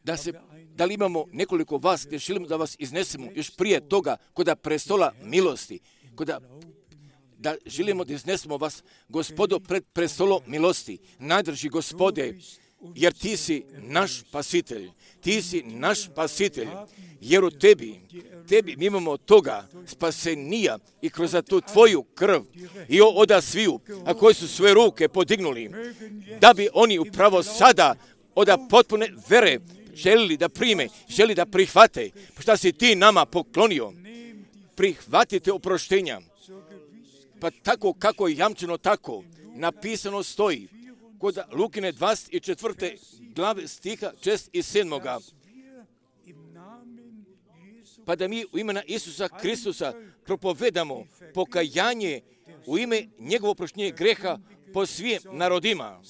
da se, da li imamo nekoliko vas gdje želimo da vas iznesemo još prije toga koda prestola milosti, koda da želimo da iznesemo vas, Gospodo, pred prestolom milosti. Najdrži Gospode, jer ti si naš spasitelj, ti si naš spasitelj, jer u tebi, tebi mi imamo toga spasenija i kroz tu tvoju krv i oda sviju, a koji su svoje ruke podignuli, da bi oni upravo sada oda potpune vere želili da prime, želi da prihvate, šta si ti nama poklonio, prihvatite oproštenja. Pa tako kako je jamčeno, tako napisano stoji kod Lukine dvadeset četvrte glave stiha šest i sedam. Pa da mi u imena Isusa Kristusa propovedamo pokajanje u ime njegovo oproštenje greha po svim narodima.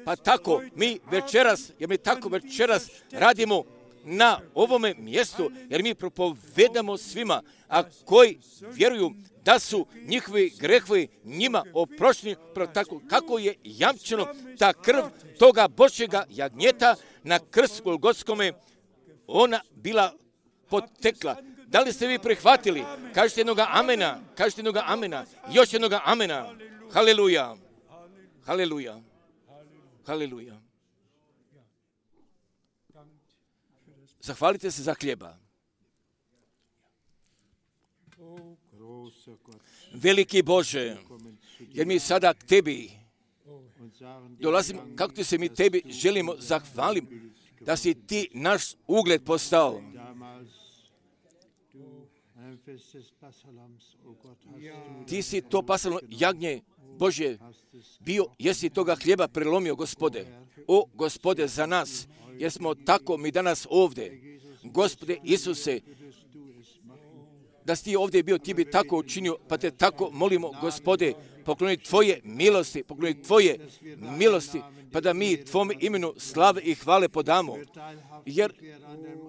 Pa tako mi večeras, jer mi tako večeras radimo na ovome mjestu, jer mi propovedamo svima, a koji vjeruju da su njihovi grehovi njima oprošteni, tako kako je jamčeno ta krv toga Božjega jagnjeta na krstu Golgotskome, ona bila potekla. Da li ste vi prihvatili? Kažete jednoga amena, kažete jednoga amena, još jednoga amena. Haleluja, haleluja, haleluja. Zahvalite se za hljeba. Veliki Bože, jer mi sada k tebi dolazimo, kako ti se mi tebi želimo zahvalim, da si ti naš ugled postao. Ti si to pasalo jagnje Bože bio, jesi toga hljeba prelomio, Gospode. O, Gospode, za nas, jer smo tako mi danas ovdje. Gospode Isuse, da si ti ovdje bio, ti bi tako učinio, pa te tako molimo, Gospode, pokloni Tvoje milosti, pokloni Tvoje milosti, pa da mi Tvome imenu slave i hvale podamo, jer,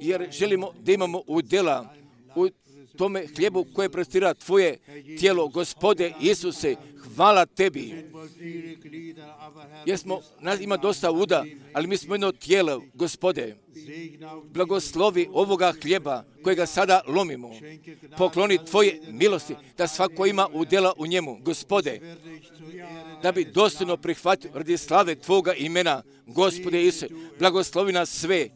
jer želimo da imamo udjela u tome hljebu koje prostira Tvoje tijelo, Gospode Isuse, hvala Tebi. Jer smo, nas ima dosta uda, ali mi smo jedno tijelo, Gospode. Blagoslovi ovoga hljeba kojega sada lomimo. Pokloni Tvoje milosti, da svako ima udjela u njemu, Gospode. Da bi dostojno prihvatio radi slave Tvoga imena, Gospode Isuse. Blagoslovi nas sve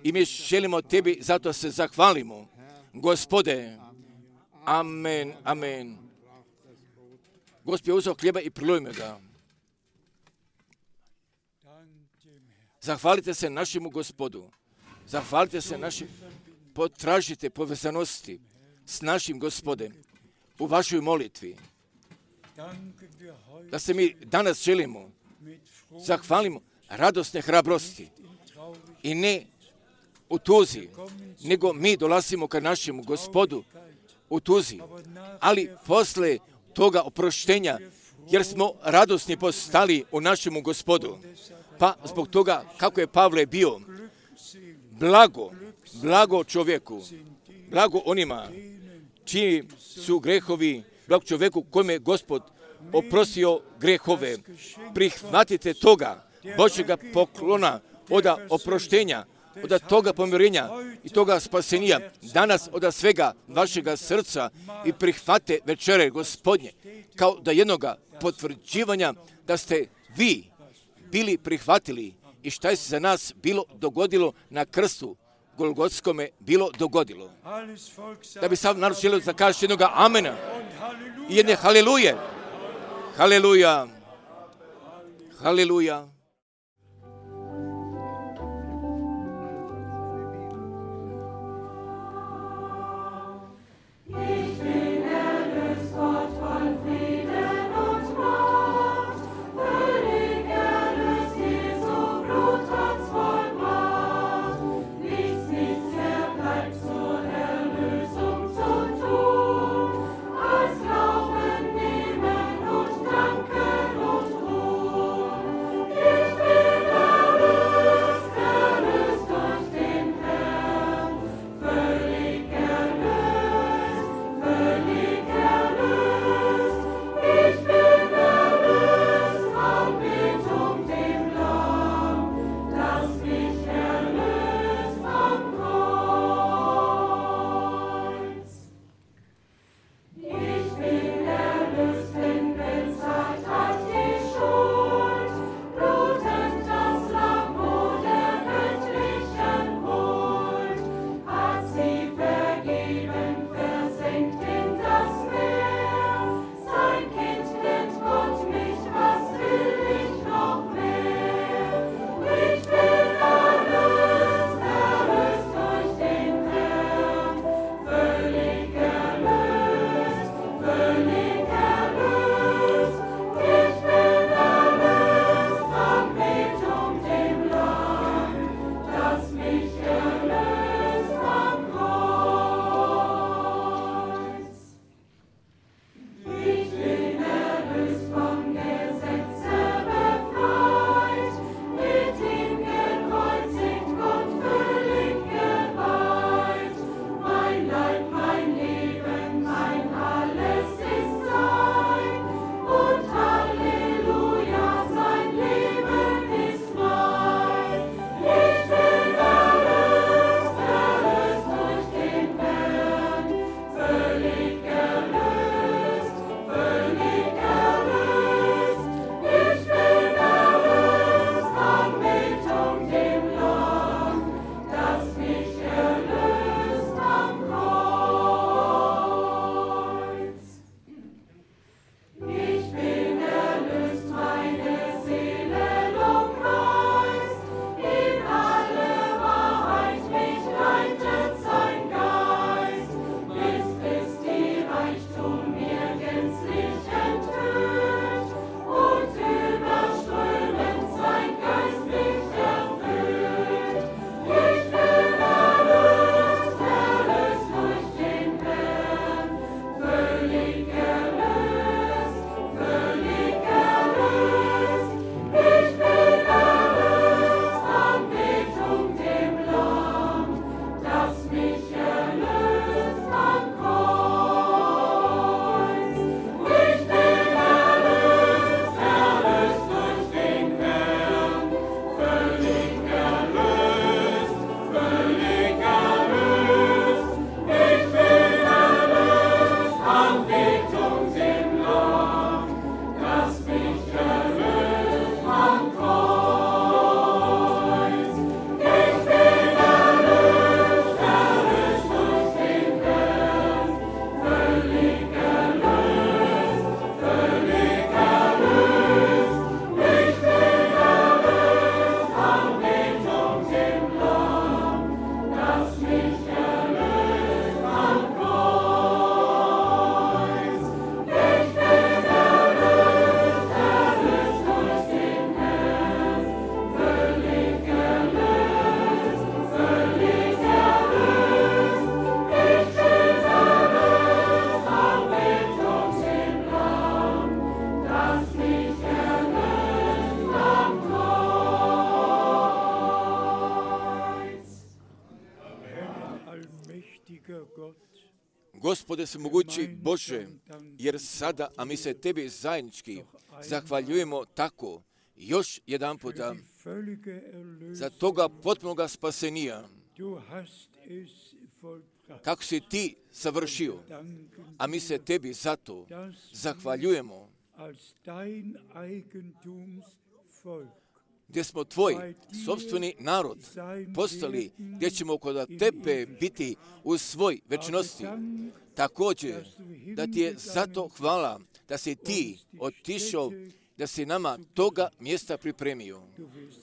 i mi želimo Tebi, zato se zahvalimo. Gospode, amen, amen. Gospod je uzeo hljeba i prilojimo ga. Zahvalite se našemu Gospodu. Zahvalite se našim, potražite povezanosti s našim Gospodem u vašoj molitvi. Da se mi danas želimo, zahvalimo radosne hrabrosti i ne u tuzi, nego mi dolazimo ka našemu Gospodu u tuzi, ali posle toga oproštenja, jer smo radosni postali u našemu Gospodu. Pa zbog toga, kako je Pavle bio, blago, blago čovjeku, blago onima čiji su grehovi, blago čovjeku kojim je Gospod oprostio grehove. Prihvatite toga Božjega poklona, od oproštenja, od toga pomirenja i toga spasenja, danas od svega vašega srca i prihvate večere Gospodnje, kao da jednoga potvrđivanja da ste vi bili prihvatili i šta je se za nas bilo dogodilo na krstu Golgotskome bilo dogodilo. Da bi sav narod želio da kaže jednoga amena i jedne haleluje. Haleluja. Haleluja. Yeah. allmächtiger Gott, Gospode svemogući Bože, jer sada, a mi se Tebi zajednički zahvaljujemo tako, još jedan puta, die völlige za Erlösung. toga potpunoga spasenija, Du hast es vollbracht. kako si Ti savršio, Danken a mi se Tebi zato dass zahvaljujemo, als dein Eigentumsvolk gdje smo Tvoj sopstveni narod postali, gdje ćemo kod Tebe biti u svoj večnosti. Također, da Ti je zato hvala, da si Ti otišao, da si nama toga mjesta pripremio, du wirst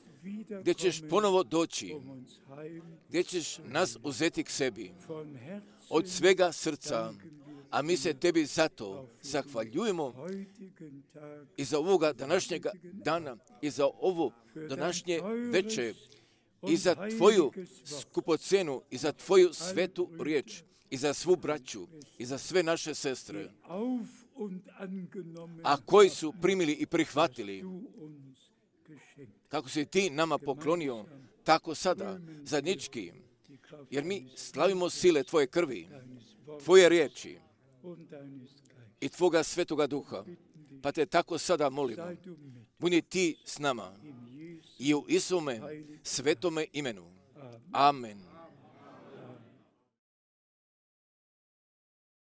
gdje ćeš wiederkommen, ponovo doći, um uns heim gdje ćeš nas uzeti k sebi, von Herzen. od svega srca, a mi se Tebi zato zahvaljujemo Heutigen Tag i za ovoga današnjega dana, i za ovo današnje veče, i za Tvoju skupocenu, i za Tvoju svetu riječ, i za svu braću, i za sve naše sestre, auf und angenommen a koji su primili i prihvatili, du uns geschenkt. kako si Ti nama poklonio, tako sada, zajednički, Die Kraft jer mi slavimo sile Tvoje krvi, deines Wortes Tvoje riječi und deines Geistes. i Tvoga svetoga duha. Pa Te tako sada molimo, Sei du mit budi Ti s nama in Jesu. i u Isume svetome imenu. Amen.